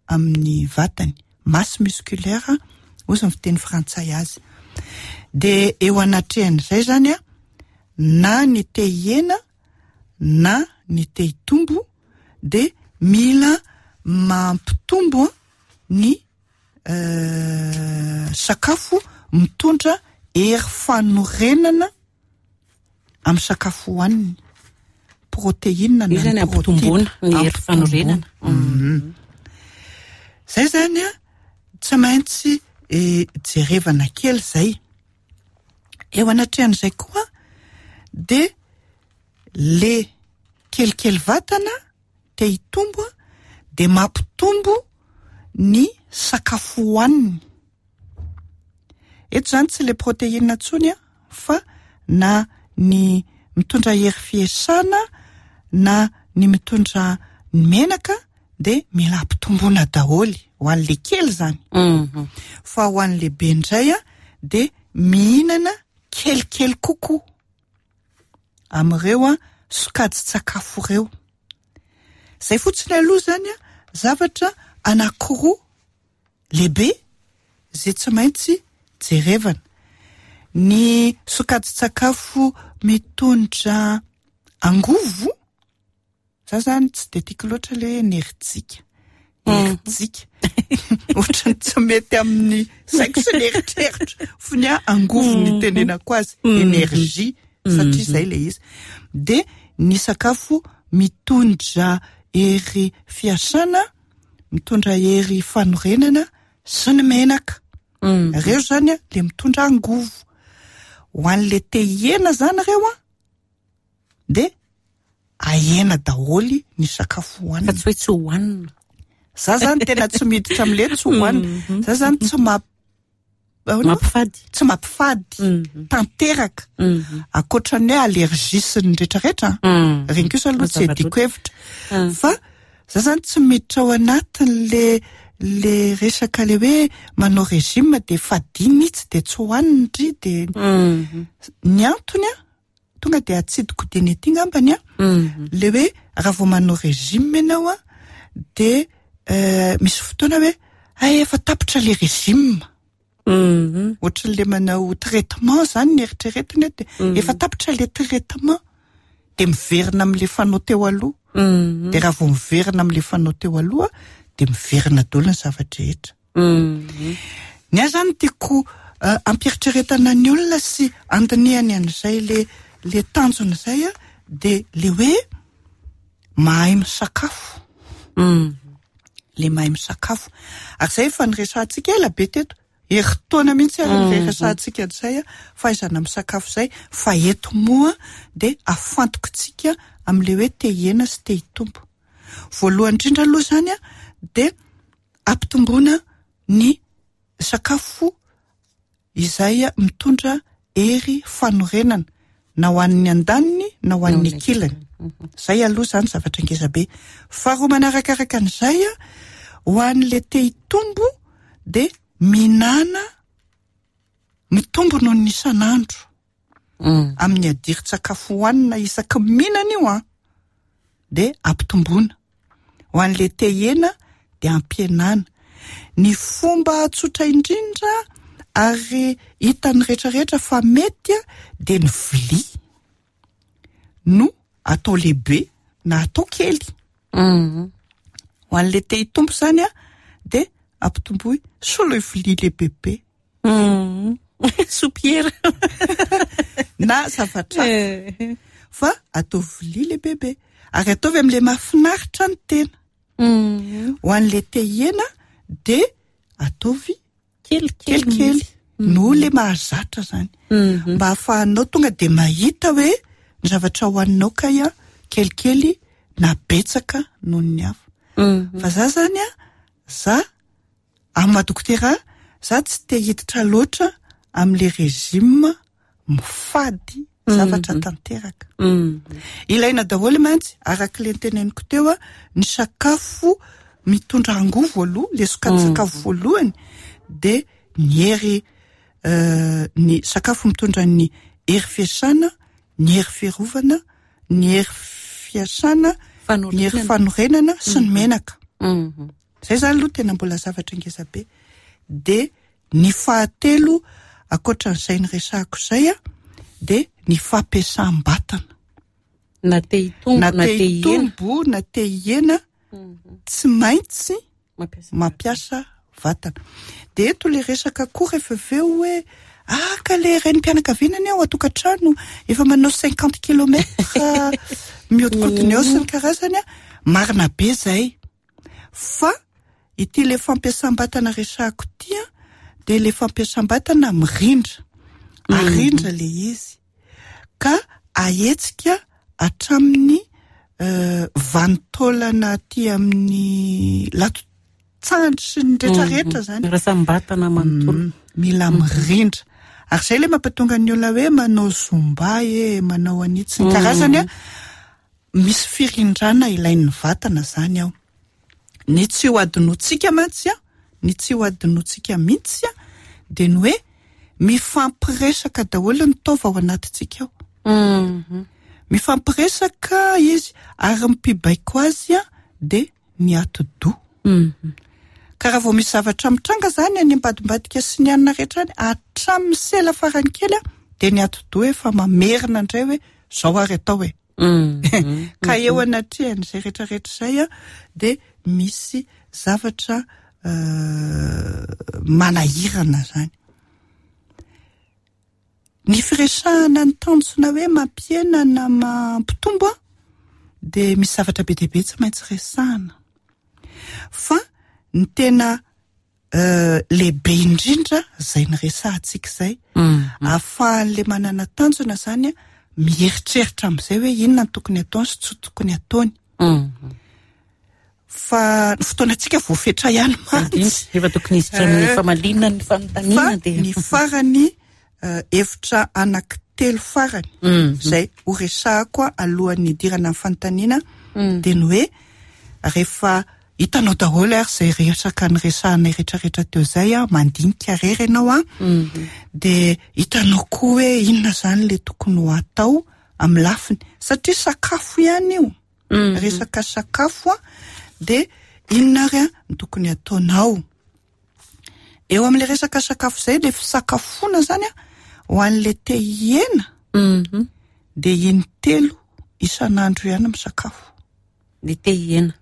[SPEAKER 3] amin'ny vatany, masse musculaire hozy ny fiteny frantsay azy. Dia eo anatrehan'izay zany a, na ny te hihena na ny te hitombo dia mila mampitombo ny sakafo mitondra hery fanorenana amin'ny sakafo hohaniny, protéine
[SPEAKER 2] na
[SPEAKER 3] ny
[SPEAKER 2] ampitomboana ny hery fanorenana.
[SPEAKER 3] Zay zany a, tsy maintsy jerevana kely zay. Eo anatrehan'izay koa dia le kelikely vatana te hitombo dia mampitombo ny sakafo hohaniny. Eto zany tsy le protéine intsony a, fa na ny mitondra hery fiasana na ny mitondra ny menaka dia mila ampitomboana daholo ho an'le kely zany. Fa ho an'le be indray a dia mihinana kelikely kokoa amin'ireo sokajin-tsakafo ireo. Zay fotsiny aloha zany a, zavatra anankiroa lehibe zay tsy maintsy jerevana. Ny sokajin-tsakafo mitondra angovo, za zany tsy de tiako loatra le hoe enerjika. Enerjika. Ohatran'ny tsy mety amin'ny saiko sy ny eritreritro. Fony aho angovo ny itenenako azy, énergie, satria zay le izy. Dia ny sakafo mitondra hery fiasana, mitondra hery fanorenana sy ny menaka. Reo zany a, le mitondra angovo. Ho an'le te hihena zany reo a, dia ahena daholo ny sakafo hohanina.
[SPEAKER 2] Fa tsy hoe tsy hohanina.
[SPEAKER 3] Za zany tena tsy miditra am'le tsy hohanina. Za zany tsy
[SPEAKER 2] mampifady.
[SPEAKER 3] Tsy mampifady tanteraka. Ankoatran'ny hoe allergie sy ny rehetrarehetra, reny kosa aloha tsy adiko hevitra. Fa za zany tsy miditra ao anatin'le le resaka le hoe manao régime dia fadio mihitsy dia tsy hohanina ndry dia ny antony a, tonga dia atsidiko dieny ety ngambany a, le hoe raha vao manao régime ianao a, dia misy fotoana hoe ay efa tapitra le régime. Ohatran'le manao traitement zany ny eritreretina dia efa tapitra le traitement dia miverina amin'le fanao teo aloha. Dia raha vao miverina amin'le fanao teo aloha dia miverina daholo ny zava-drehetra. Ny ahy zany tiako ampieritreretana ny olona sy andinihany an'izay le le tanjona izay a, dia le hoe mahay misakafo. Le mahay misakafo. Ary izay efa niresahantsika ela be teto. Herintaona mihitsy ary niresahantsika an'izay a, fahaizana misakafo izay. Fa eto moa dia afantokontsika amin'ilay hoe te hihena sy te hitombo. Voalohany indrindra aloha izany a, dia ampitomboana ny sakafo izay mitondra hery fanorenana na ho an'ny andaniny na ho an'ny ankilany. Zay aloha zany zavatra ngeza be. Faharoa manarakaraka an'izay a, ho an'le te hitombo dia mihinana mitombo noho ny isan'andro. Amin'ny hadirin-tsakafo hohanina isaky ny mihinana io an, dia ampitomboana. Ho an'le te hihena dia ampihenana. Ny fomba tsotra indrindra ary hitan'ny rehetrarehetra fa mety dia ny vilia no atao lehibe na atao kely. Ho an'le te hitombo zany a, dia ampitomboy soloy vilia lehibebe.
[SPEAKER 2] Soupière.
[SPEAKER 3] Na zavatra hafa. Fa ataovy vilia lehibebe. Ary ataovy amin'ilay mahafinaritra ny tena. Ho an'ilay te hihena dia ataovy kelikely noho ilay mahazatra zany. Mba ahafahanao tonga dia mahita hoe ny zavatra hohaninao kay a, kelikely na betsaka noho ny hafa. Fa za zany a, za. Amin'ny maha dokotera ahy, za tsy te hiditra loatra amin'le régime mifady zavatra tanteraka. Ilaina daholo mantsy, araka le noteneniko teo a, ny sakafo mitondra angovo aloha, le sokajin-tsakafo voalohany dia ny hery ny sakafo mitondra ny hery fiasana, ny hery fiarovana, ny hery fiasana, ny hery fanorenana sy ny menaka. Zay zany aloha tena mbola zavatra ngeza be. Dia ny fahatelo ankoatran'izay niresahako izay a, dia ny fampiasam-batana.
[SPEAKER 2] Na te hitombo
[SPEAKER 3] na te hitombo na te hihena, tsy maintsy mampiasa vatana. Dia eto le resaka koa rehefa avy eo hoe ah ka le renim-pianakaviana anie ao an-tokantrano efa manao 50 kilomètres mihodinkodina eo sy ny karazany a, marina be zay. Fa ity le fampiasam-batana resahako ity a, dia le fampiasam-batana mirindra. Arindra le izy. Ka ahetsika hatramin'ny vanin-taolana aty amin'ny lato-tsandry sy ny rehetrarehetra zany.
[SPEAKER 2] Rasam-batana manontolo.
[SPEAKER 3] Mila mirindra. Ary zay le mampatonga ny olona hoe manao zumba e, manao an'itsy ny karazany a. Misy firindrana ilain'ny vatana zany ao. Ny tsy ho adinoantsika mantsy a, ny tsy ho adinoantsika mihitsy a, dia ny hoe mifampiresaka daholo ny taova ao anatintsika ao. Mifampiresaka izy ary ny mpibaiko azy a dia ny atidoha. Ka raha vao misy zavatra mitranga zany any ambadimbadika sy ny anona rehetra any, hatramin'ny sela farany kely a, dia ny atidoha efa mamerina indray hoe zao ary atao e. Ka eo anatrehan'izay rehetrarehetra izay a, dia misy zavatra manahirana zany. Ny firesahana ny tanjona hoe mampihena na mampitombo a, dia misy zavatra be dia be tsy maintsy resahana. Fa ny tena lehibe indrindra izay niresahantsika izay, ahafahan'ilay manana tanjona zany a mieritreritra amin'izay hoe inona no tokony ataony sy tsy tokony ataony. Fa ny fotoanantsika voafetra ihany mantsy.
[SPEAKER 2] Efa tokony hiditra amin'ny famaliana ny fanontaniana
[SPEAKER 3] dia. Fa ny farany hevitra anankitelo farany izay ho resahako alohan'ny hidirana amin'ny fanontaniana dia ny hoe rehefa hitanao daholo ary izay resaka niresahanay rehetrarehetra teo izay a, mandinika rery ianao a, dia hitanao koa hoe inona izany le tokony ho atao amin'ny lafiny, satria sakafo ihany io. Resaka sakafo a, dia inona ary a no tokony ataonao? Eo amin'le resaka sakafo izay, le fisakafoana zany a, ho an'le te hihena, dia in-telo isan'andro ihany misakafo.
[SPEAKER 2] Le te hihena.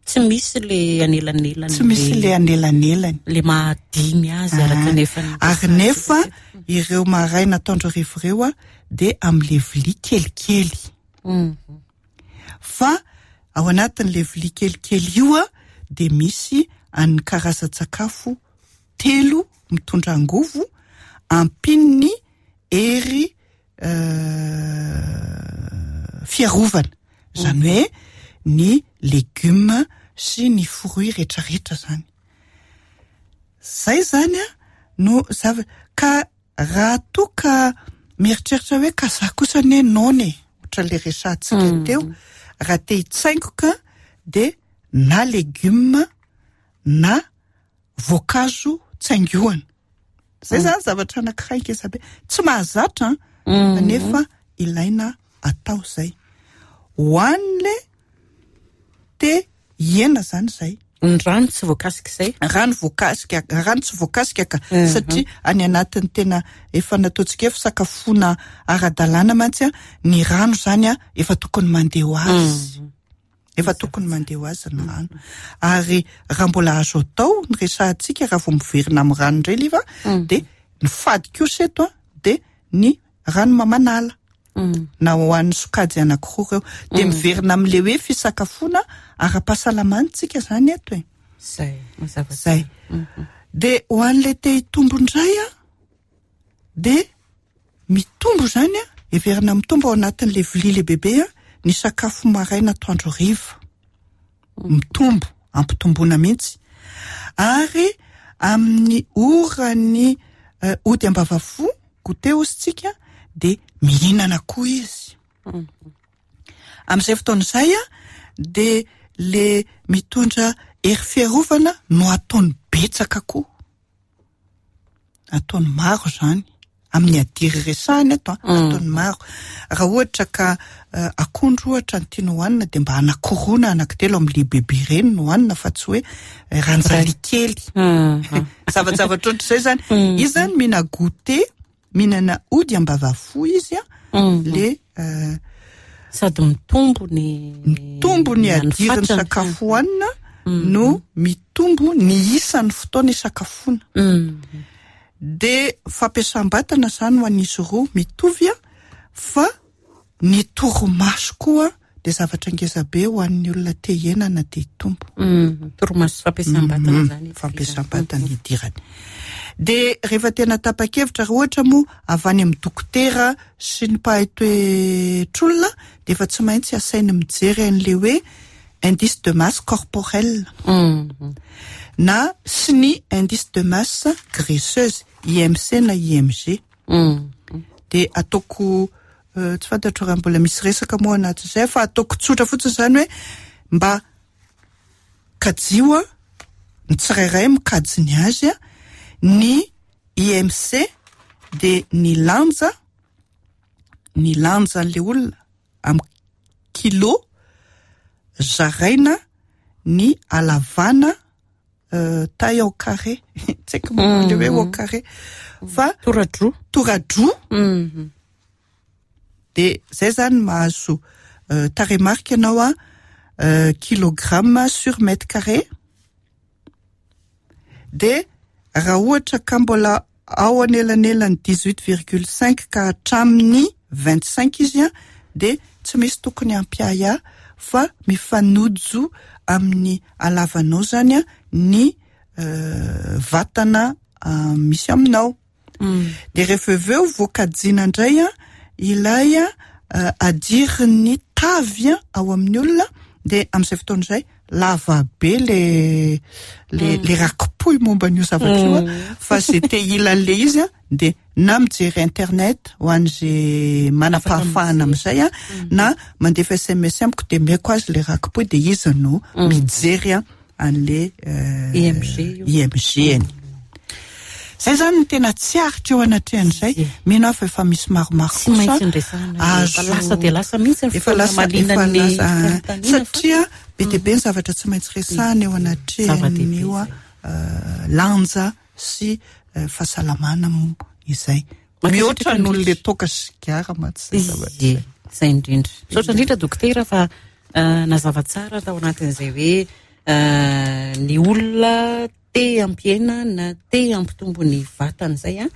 [SPEAKER 2] Tsy misy le anelanelany.
[SPEAKER 3] Tsy misy le anelanelany.
[SPEAKER 2] Le mahadimy azy araka ny efa
[SPEAKER 3] Ary nefa ireo maraina atoandro hariva ireo a, dia amin'le vilia kelikely. Fa ao anatin'le vilia kelikely io a, dia misy an'ny karazan-tsakafo telo mitondra angovo ampian'ny hery fiarovana, izany hoe ny legioma sy ny fruits rehetrarehetra zany. Zay zany a no zava-, ka raha toa ka mieritreritra hoe ka za kosa anie noana e, ohatran'le resahantsika teo, raha te hitsaingoka dia na legioma na voankazo tsaingohana. Zay zany zavatra anankiray ngeza be. Tsy mahazatra an, nefa ilaina atao zay. Ho an'le te hihena zany zay.
[SPEAKER 2] Ny rano tsy voakasika izay?
[SPEAKER 3] Rano voakasika, rano tsy voakasika ka, satria any anatin'ny tena efa nataontsika hoe fisakafoana ara-dalàna mantsy a, ny rano zany a efa tokony mandeha ho azy. Efa tokony mandeha ho azy ny rano. Ary raha mbola azo atao ny resahantsika raha vao miverina amin'ny rano indray liva, dia ny fady kosa eto a, dia ny rano mamanala. Na ho an'ny sokajy anankiroa ireo. Dia miverina amin'ilay hoe fisakafoana ara-pahasalamana tsika izany eto e.
[SPEAKER 2] Zay, mazava
[SPEAKER 3] Zay. Dia ho an'ilay te hitombo indray a, dia mitombo izany a, heverina mitombo ao anatin'ilay vilia lehibebe a, ny sakafo maraina atoandro hariva. Mitombo, ampitomboana mihitsy. Ary amin'ny oran'ny ody ambavafo, goûter hozy tsika, dia mihinana koa izy. Amin'izay fotoana izay dia le mitondra hery fiarovana no ataony betsaka koa. Ataony maro izany. Amin'ny hadiry resahana eto, ataony maro. Raha ohatra ka akondro ohatra no tiana hohanina dia mba anankiroa na anankitelo amin'ilay bebe ireny no hohanina fa tsy hoe ranjali kely. Zavajavatra ohatr'izay izany. Izy izany mihina goûter, mihinana ody ambavafo izy le
[SPEAKER 2] sady mitombo ny
[SPEAKER 3] mitombo ny hadirin'ny sakafo hohanina no mitombo ny isan'ny fotoana isakafoana. Dia fampiasam-batana izany ho an'izy roa mitovy fa ny torimaso koa dia zavatra ngeza be ho an'ny olona te hihena na te hitombo.
[SPEAKER 2] Torimaso sy fampiasam-batana izany.
[SPEAKER 3] Fampiasam-batana idirany. Dia rehefa tena tapa-kevitra, raha ohatra moa avy any amin'ny dokotera sy ny mpahay toetr'olona dia efa tsy maintsy asainy mijery an'ilay hoe indice de masse corporelle na sy ny indice de masse graisseuse, IMC na IMG. Dia ataoko tsy fantatro raha mbola misy resaka moa anatin'izay fa ataoko tsotra fotsiny izany hoe mba kajio ny tsirairay mikajy ny azy ny IMC dia ny lanja ny lanjan'ilay olona amin'ny kilo zaraina ny halavana taille au carré tsy haiko moa le hoe au carré fa
[SPEAKER 2] toradroa
[SPEAKER 3] toradroa dia zay zany mahazo tarehimarika ianao a kilogramme sur mètre carré dia raha ohatra ka mbola ao anelanelan'ny 18,5 ka hatramin'ny 25 izy a dia tsy misy tokony hampiahiahy fa mifanojo amin'ny halavanao zany a ny vatana misy aminao. Dia rehefa avy eo voakajiana indray a ilay hadirin'ny tavy ao amin'ny olona dia amin'izay fotoana izay lava be le le le raki-pohy momba an'io zavatra io a fa zay te hila an'le izy a dia na mijery internet ho an'izay manam-pahafahana amin'izay a na mandefa SMS amiko dia omeko azy le raki-pohy dia izy no mijery a an'le
[SPEAKER 2] IMG io.
[SPEAKER 3] IMG-ny. Zay zany no tena tsy aritra eo anatrehan'izay. Mino aho fa efa misy maromaro
[SPEAKER 2] Tsy maintsy nresahana efa lasa dia lasa mihitsy ny
[SPEAKER 3] efa lasa
[SPEAKER 2] fotoana
[SPEAKER 3] efa
[SPEAKER 2] mahaliana ny
[SPEAKER 3] lasa
[SPEAKER 2] fanontaniana fa
[SPEAKER 3] satria be dia be ny zavatra tsy maintsy resahana eo anatrehan'io
[SPEAKER 2] Zava-dehibe
[SPEAKER 3] lanja sy fahasalamana moa izay.
[SPEAKER 2] Mankasitraka
[SPEAKER 3] Mihoatra noho
[SPEAKER 2] indrindra.
[SPEAKER 3] le toaka sy sigara mantsy izay zavatra
[SPEAKER 2] Ie,
[SPEAKER 3] izay.
[SPEAKER 2] izay indrindra. Misaotra indrindra dokotera fa nazava tsara tao anatin'izay hoe ny olona te hampihena na te hampitombo ny vatana izay a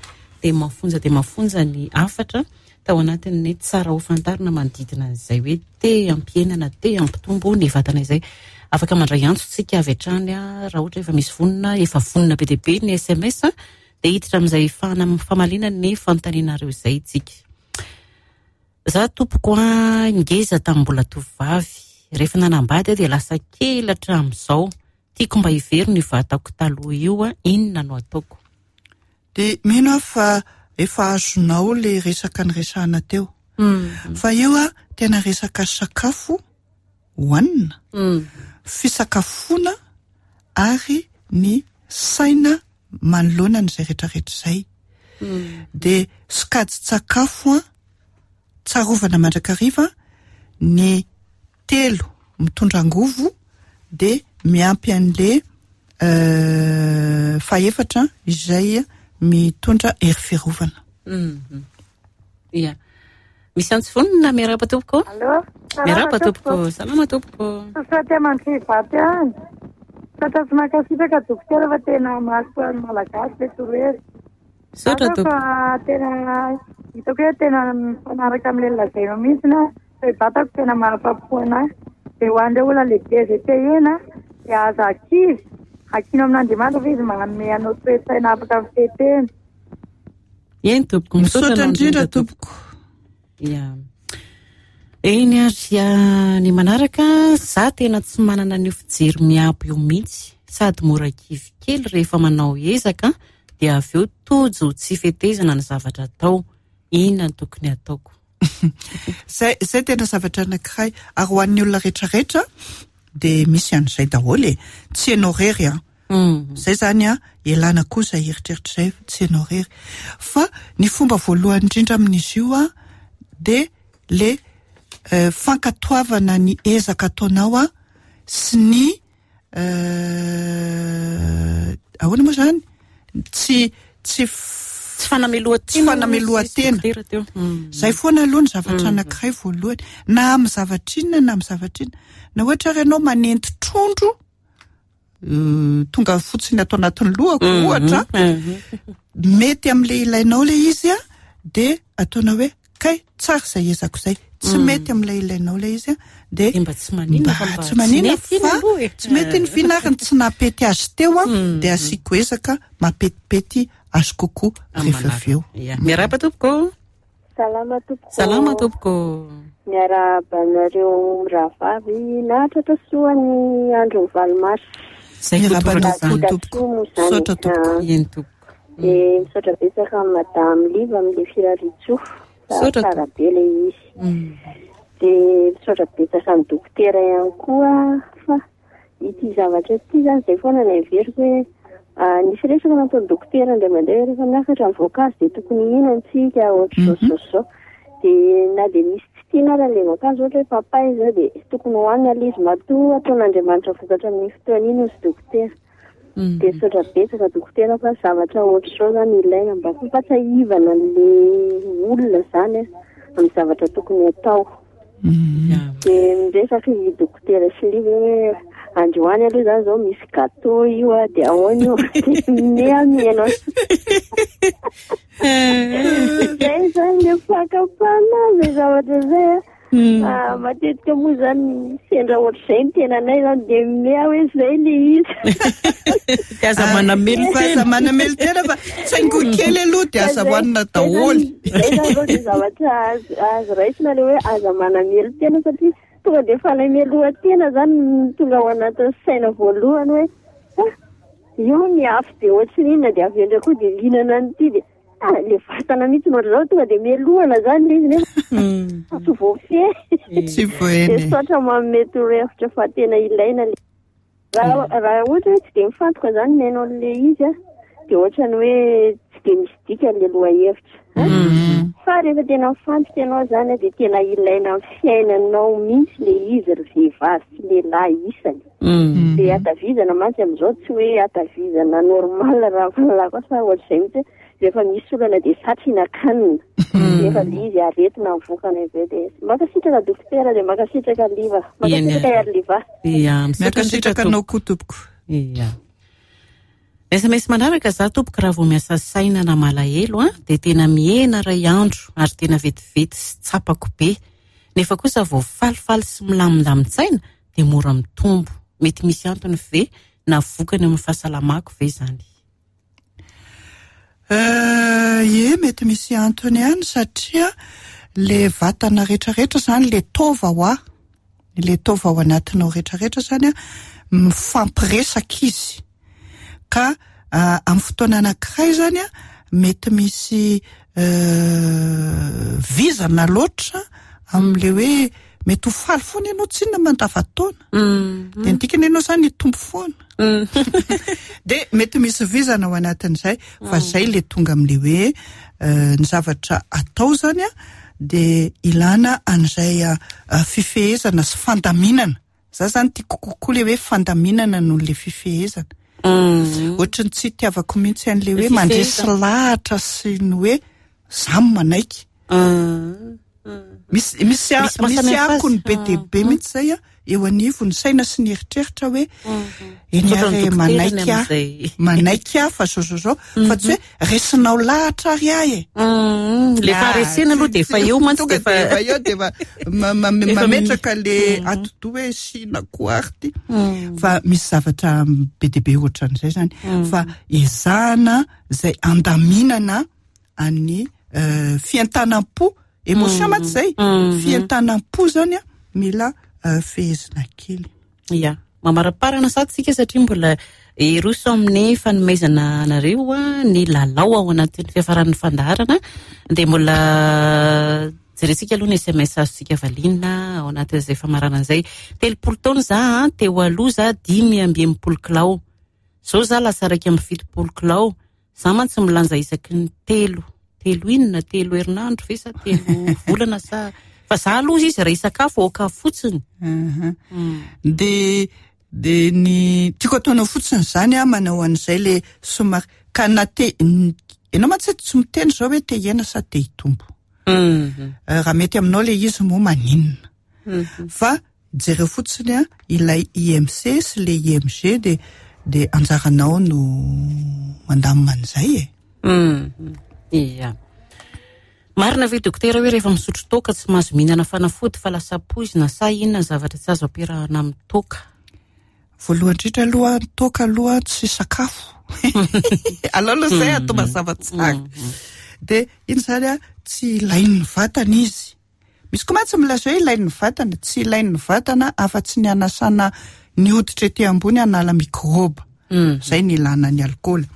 [SPEAKER 2] dia mafonja dia mafonja ny hafatra tao anatin'ny tsara ho fantarina manodidina an'izay hoe te hampihena na te hampitombo ny vatana izay. Afaka mandray antso tsika avy hatrany a raha ohatra efa misy vonona, efa vonona be dia be ny SMS a, dia hiditra amin'izay famaliana ny fanontanianareo izay tsika. Za tompoko a ngeza tamin'ny mbola tovovavy. Rehefa nanambady aho dia lasa kely hatramin'izao. Tiako mba hiverina io vatako taloha io a, inona no ataoko?
[SPEAKER 3] Dia mino aho fa efa azonao le resaka niresahana teo. Fa io a tena resaka sakafo hohanina, fisakafoana ary ny saina manoloana an'izay rehetrarehetra izay. Dia sokajin-tsakafo a tsarovana mandrakariva ny telo mitondra angovo dia miampy an'le fahefatra izay mitondra hery fiarovana.
[SPEAKER 2] Ia. Misy antso vonona, miarahaba tompoko.
[SPEAKER 4] Allô?
[SPEAKER 2] Miarahaba tompoko. Salama tompoko.
[SPEAKER 4] Saotra aman-dry vato ihany. Saotra sy mankasitraka dokotera fa tena mahasoa ny Malagasy le torohevitra.
[SPEAKER 2] Saotra
[SPEAKER 4] Fa
[SPEAKER 2] tompoko.
[SPEAKER 4] tena hitako hoe tena mifanaraka amin'ilay lazainao mihitsy na hoe vatako tena mahafapo anahy. Dia ho an'ireo olona lehibe izay te hihena dia aza kivy. Ankino amin'Andriamanitra fa izy manome anao toe-tsaina afaka mifehy-tena.
[SPEAKER 2] Eny tompoko, misaotra
[SPEAKER 3] Misaotra
[SPEAKER 2] anao
[SPEAKER 3] indrindra
[SPEAKER 2] indrindra
[SPEAKER 3] tompoko.
[SPEAKER 2] Ia. Eny ary ny manaraka, za tena tsy manana an'io fijery miabo io mihitsy. sady mora kivy kely rehefa manao ezaka dia avy eo tojo tsy fetezana ny zavatra atao. Inona no tokony ataoko?
[SPEAKER 3] Zay, zay tena zavatra anankiray. Ary ho an'ny olona rehetrarehetra dia misy an'izay daholo e. Tsy ianao irery an. Zay zany an, ialana koa izay eritreritra izay, tsy ianao irery. Fa ny fomba voalohany indrindra amin'izy io an, dia le fankatoavana ny ezaka ataonao an, sy ny ahoana moa zany? Tsy tsy
[SPEAKER 2] Tsy fanamelohan-tena.
[SPEAKER 3] Tsy fanamelohan-tena. Zay foana aloha ny zavatra anankiray voalohany. Na amin'ny zavatra inona na amin'ny zavatra inona. Na ohatra ary ianao manendy trondro, tonga fotsiny ato anatin'ny lohako ohatra, mety amin'ilay ilainao ilay izy an, dia ataonao hoe kay tsara izay ezako izay. Tsy mety amin'ilay ilainao ilay izy an, dia
[SPEAKER 2] Dia mba tsy maninona fa mba
[SPEAKER 3] tsy maninona
[SPEAKER 2] tsy mety iny
[SPEAKER 3] fa
[SPEAKER 2] aloha e.
[SPEAKER 3] tsy mety iny vina ary ny tsy nampety azy teo an, dia asiako ezaka mampetipety azy kokoa rehefa avy eo.
[SPEAKER 2] Ya. Miarahaba tompoko.
[SPEAKER 5] Salama tompoko.
[SPEAKER 2] Salama tompoko.
[SPEAKER 5] Miarahaba anareo mirahavavy nahatratra soa ny andron'ny 8 marsa.
[SPEAKER 2] Zay koa
[SPEAKER 3] Miarahaba
[SPEAKER 2] tompoko
[SPEAKER 3] anao koa
[SPEAKER 2] izany.
[SPEAKER 3] tompoko.
[SPEAKER 5] Soa moa izany.
[SPEAKER 3] Misaotra tompoko.
[SPEAKER 5] Ah.
[SPEAKER 2] Eny tompoko.
[SPEAKER 5] Dia misaotra betsaka amin'i Madame Liva amin'ilay firariantsoa.
[SPEAKER 2] Misaotra
[SPEAKER 5] Tsara be ilay izy. Dia misaotra betsaka amin'ny dokotera ihany koa fa ity zavatra ity izany izay foana no heveriko hoe nisy resaka nataon'ny dokotera indray mandeha hoe rehefa miakatra ny voankazo dia tokony hihinana isika ohatr'izao sy izao sy izao. Dia na dia misy tsy tiana ary ilay voankazo ohatra hoe papay izao dia tokony hohanina ilay izy matoa ataon'Andriamanitra vokatra amin'iny fotoana iny hozy dokotera. Dia misaotra betsaka dokotera fa zavatra ohatr'izao izany ilaina mba fampatsiahivana an'ilay olona izany amin'ny zavatra tokony hatao. Dia miresaka i dokotera sy Liva hoe androany aloha izany izao misy gâteau io a, dia ahoana io? Dia miha mihaino. Izay izany ilay fakam-panahy izay zavatra izay a. Matetika moa izany sendra ohatr'izay ny tenanay izany dia miha hoe izay ilay izy.
[SPEAKER 2] Dia aza manamelo-tena.
[SPEAKER 3] Aza manamelo-tena fa tsaingo kely aloha dia aza hohanina daholo.
[SPEAKER 5] Izay izany aloha dia zavatra azo raisina ilay hoe aza manamelo-tena satria tonga dia fanamelohan-tena izany no tonga ao anatin'ny saina voalohany hoe ah, io ny afo be ohatry ny inona dia avy eo indray koa dia mihinana an'ity dia ah, ilay vatana mihitsy no ohatr'izao tonga dia melohana izany ilay izy nefa tsy voafehy.
[SPEAKER 3] Tsy voafehy.
[SPEAKER 5] Dia misaotra manome torohevitra fa tena ilaina ilay raha ohatra hoe tsy dia mifantoka izany mihaino an'ilay izy a, dia ohatran'ny hoe tsy dia misy dikany ilay lohahevitra. Fa rehefa tena mifantoka ianao izany a, dia tena ilaina amin'ny fiainanao mihitsy ilay izy ry vehivavy sy lehilahy isany. Dia hatavizana mantsy amin'izao tsy hoe hatavizana normal raha ny fahalalako azy fa ohatr'izay mihitsy hoe rehefa misy olana dia satry hihinan-kanina. Nefa ilay izy aretina mivokana avy eo dia mankasitraka dokotera dia mankasitraka Liva. Mankasitraka
[SPEAKER 2] Eny.
[SPEAKER 5] Hery Liva.
[SPEAKER 2] Ia, misaotra indrindra
[SPEAKER 3] Mankasitraka anao koa tompoko.
[SPEAKER 2] Ia. SMS manaraka za tompoko raha vao miasa saina na malahelo a, dia tena mihena iray andro ary tena vetivety sy tsapako be. Nefa kosa vao falifaly sy milamindamin-tsaina dia mora mitombo. Mety misy antony ve na vokany amin'ny fahasalamako ve izany?
[SPEAKER 3] Ie, mety misy antony ihany satria le vatana rehetrarehetra izany, le taova ho ahy, le taova ao anatinao rehetrarehetra izany a, mifampiresaka izy. Ka amin'ny fotoana anankiray izany a, mety misy vizana loatra amin'ilay hoe mety ho faly foana ianao tsy inona mandava-taona. Dia ny dikany ianao izany hitombo foana. Dia mety misy vizana ao anatin'izay, fa izay ilay tonga amin'ilay hoe ny zavatra atao izany a, dia ilana an'izay fifehezana sy fandaminana. Za zany tiako kokoa ilay hoe fandaminana noho ilay fifehezana. Ohatry ny tsy itiavako mihitsy an'ilay hoe mandresy lahatra sy ny hoe za no manaiky. Misy, misy a-
[SPEAKER 2] Misy mahasamihafa
[SPEAKER 3] misy
[SPEAKER 2] azy.
[SPEAKER 3] akony be dia be mihitsy izay a, eo anivon'ny saina sy ny eritreritra hoe eny
[SPEAKER 2] Misaotra ny
[SPEAKER 3] ary
[SPEAKER 2] dokotera ny
[SPEAKER 3] manaiky aho,
[SPEAKER 2] amin'izay.
[SPEAKER 3] manaiky aho fa zao zao zao, fa tsy hoe resinao lahatra ary aho e.
[SPEAKER 2] Le faharesena aloha dia efa eo mantsy
[SPEAKER 3] Tonga
[SPEAKER 2] dia
[SPEAKER 3] dia efa eo dia efa
[SPEAKER 2] Efa
[SPEAKER 3] mametraka le atidoha hoe sina koa ary ty. Fa misy zavatra be dia be ohatran'izay zany. Fa ezahana izay andaminana an'ny fientanam-po, émotion mantsy izay. Fientanam-po zany a, mila fehezina kely.
[SPEAKER 2] Ya. Mamaraparana sady tsika satria mbola hiroso amin'ny fanomezana anareo ny lalao ao anatin'ny fiafaran'ny fandaharana. Dia mbola jerentsika aloha ny SMS azontsika valiana ao anatin'izay famaranana izay. 30 taona za, teo aloha za 65 kilao. Zao za lasa 71 kilao. Za mantsy milanja isaky ny telo. Telo inona? Telo herinandro ve sa telo volana sa? Fa za aloha izy raha hisakafo aoka fotsiny.
[SPEAKER 3] De de ny tiako ataonao fotsiny zany a manao an'izay le somary ka na te ianao mantsy tsy miteny zao hoe te hihena sa te hitombo. Raha mety aminao le izy moa maninona. Fa jereo fotsiny a ilay IMC sy le IMG de de anjaranao no mandamina an'izay e.
[SPEAKER 2] Ia. Marina ve dokotera hoe rehefa misotro toaka tsy mahazo mihinana fanafody fa lasa poizina sa inona ny zavatra tsy azo ampiarahana amin'ny toaka?
[SPEAKER 3] Voalohany indrindra aloha ny toaka aloha tsy sakafo. Alao aloha izay atao mazava tsara. De iny zany a tsy ilain'ny vatana izy. Misy koa mantsy milaza hoe ilain'ny vatana, tsy ilain'ny vatana afa-tsy ny anasana ny hoditra ety ambony hanala mikraoba. Izay ny ilana ny alikaola.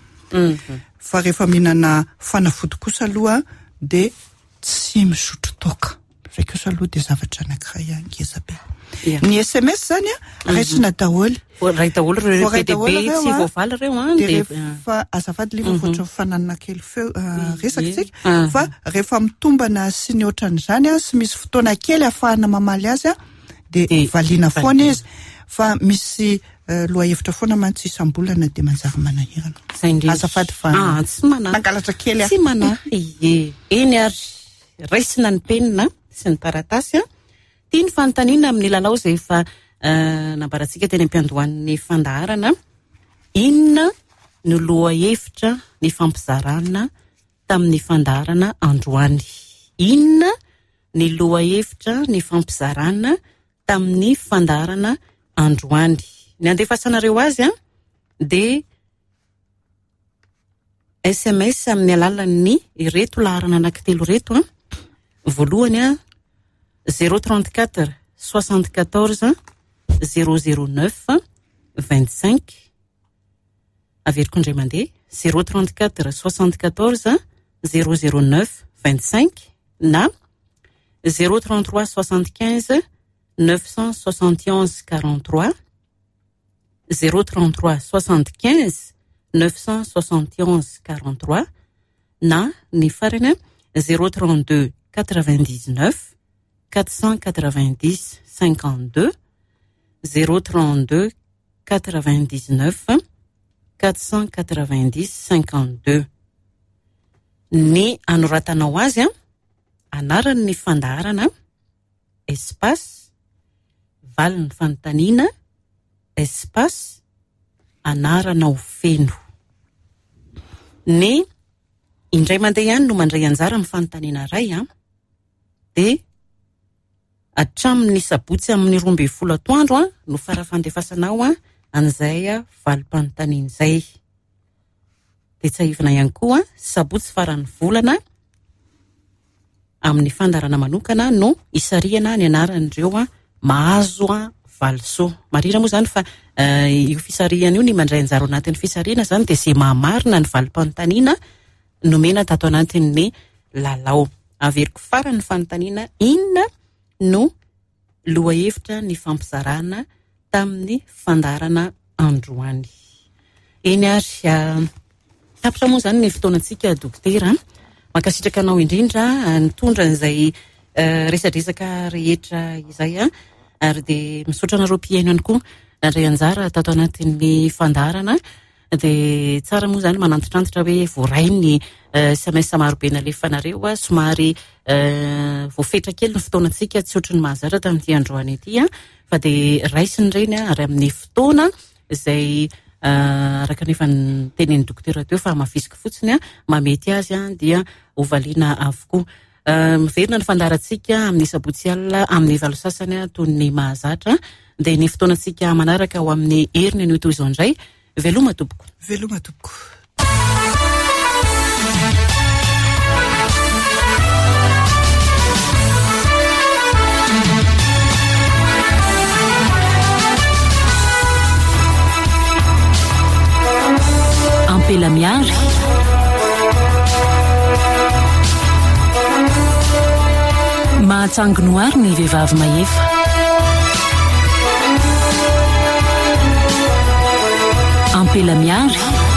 [SPEAKER 3] Fa rehefa mihinana fanafody kosa aloha dia tsy misotro toaka. Izay kosa aloha dia zavatra anankiray ngeza be. Ny SMS zany a raisina daholo.
[SPEAKER 2] Voaray daholo ireo
[SPEAKER 3] Voaray
[SPEAKER 2] be dia
[SPEAKER 3] daholo
[SPEAKER 2] be
[SPEAKER 3] ireo,
[SPEAKER 2] tsy
[SPEAKER 3] a.
[SPEAKER 2] voavaly ireo, a,
[SPEAKER 3] Dia
[SPEAKER 2] dia,
[SPEAKER 3] rehefa azafady liva voatra fananana kely feo resaka tsika, fa rehefa mitombana sy ny ohatran'izany a, sy misy fotoana kely ahafahana mamaly azy a, dia
[SPEAKER 2] Dia
[SPEAKER 3] valiana foana
[SPEAKER 2] valiana.
[SPEAKER 3] izy. Fa misy lohahevitra foana mantsy isam-bolana dia manjary manahirana.
[SPEAKER 2] Izay indrindra.
[SPEAKER 3] Azafady fa
[SPEAKER 2] Ah, tsy manahy.
[SPEAKER 3] nangalatra kely aho.
[SPEAKER 2] Tsy manahy. Ie. Eny ary raisina ny penina sy ny taratasy a. Tia ny fanontaniana amin'ny lalao izay efa nambarantsika teny am-piandohan'ny fandaharana. Inona no lohahevitra ny fampizarana tamin'ny fandaharana androany? Inona ny lohahevitra ny fampizarana tamin'ny fandaharana androany? Ny andefasanareo azy a dia SMS amin'ny alalan'ny ireto laharana anankitelo ireto a. Voalohany a zéro trente-quatre soixante-quatorze zéro zéro neuf vingt-cinq. Averiko indray mandeha zéro trente-quatre soixante-quatorze zéro zéro neuf vingt-cinq na zéro trente-trois soixante-quinze neuf cent soixante et onze quarante-trois, zéro trente-trois soixante-quinze neuf cent soixante et onze quarante-trois na ny farany zéro trente-deux quatre-vingt-dix-neuf quatre cent quatre-vingt-dix cinquante-deux, zéro trente-deux quatre-vingt-dix-neuf quatre cent quatre-vingt-dix cinquante-deux. Ny anoratanao azy a, anaran'ny fandaharana, espace, valin'ny fanontaniana, espace, anaranao feno. Ny indray mandeha ihany no mandray anjara amin'ny fanontaniana iray a, dia hatramin'ny sabotsy amin'ny 12 atoandro a no fara-fandefasanao a an'izay valim-panontaniana izay. Dia tsiahivina ihany koa sabotsy faran'ny volana amin'ny fandaharana manokana no isarihana ny anaran'ireo a mahazo a valisoa. Marina moa zany fa io fisarihana io, ny mandray anjara ao anatin'ny fisarihana zany dia izay mahamarina ny valim-panontaniana nomena tato anatin'ny lalao. Averiko farany ny fanontaniana, inona no lohahevitra ny fampizarana tamin'ny fandaharana androany? Eny ary, tapitra moa zany ny fotoanantsika dokotera. Mankasitraka anao indrindra nitondra an'izay resadresaka rehetra izay a, ary dia misaotra anareo mpihaino ihany koa nandray anjara tato anatin'ny fandaharana. Dia tsara moa zany manantitrantitra hoe voaray ny SMS marobe nalefanareo a, somary voafetra kely ny fotoanantsika, tsy ohatry ny mahazatra tamin'ity androany ity a, fa dia raisiny ireny a, ary amin'ny fotoana izay araka ny efa nitenin'ny dokotera teo fa hamafisiko fotsiny a, mamety azy a, dia hovaliana avokoa. Miverina ny fandaharantsika amin'ny sabotsy alina amin'ny valo sasany a, toy ny mahazatra. Dia ny fotoanantsika manaraka ho amin'ny heriny anio toy izao indray. Veloma tompoko.
[SPEAKER 3] Veloma tompoko.
[SPEAKER 1] Atsangano àry ny vehivavy mahefa. Ampela miary.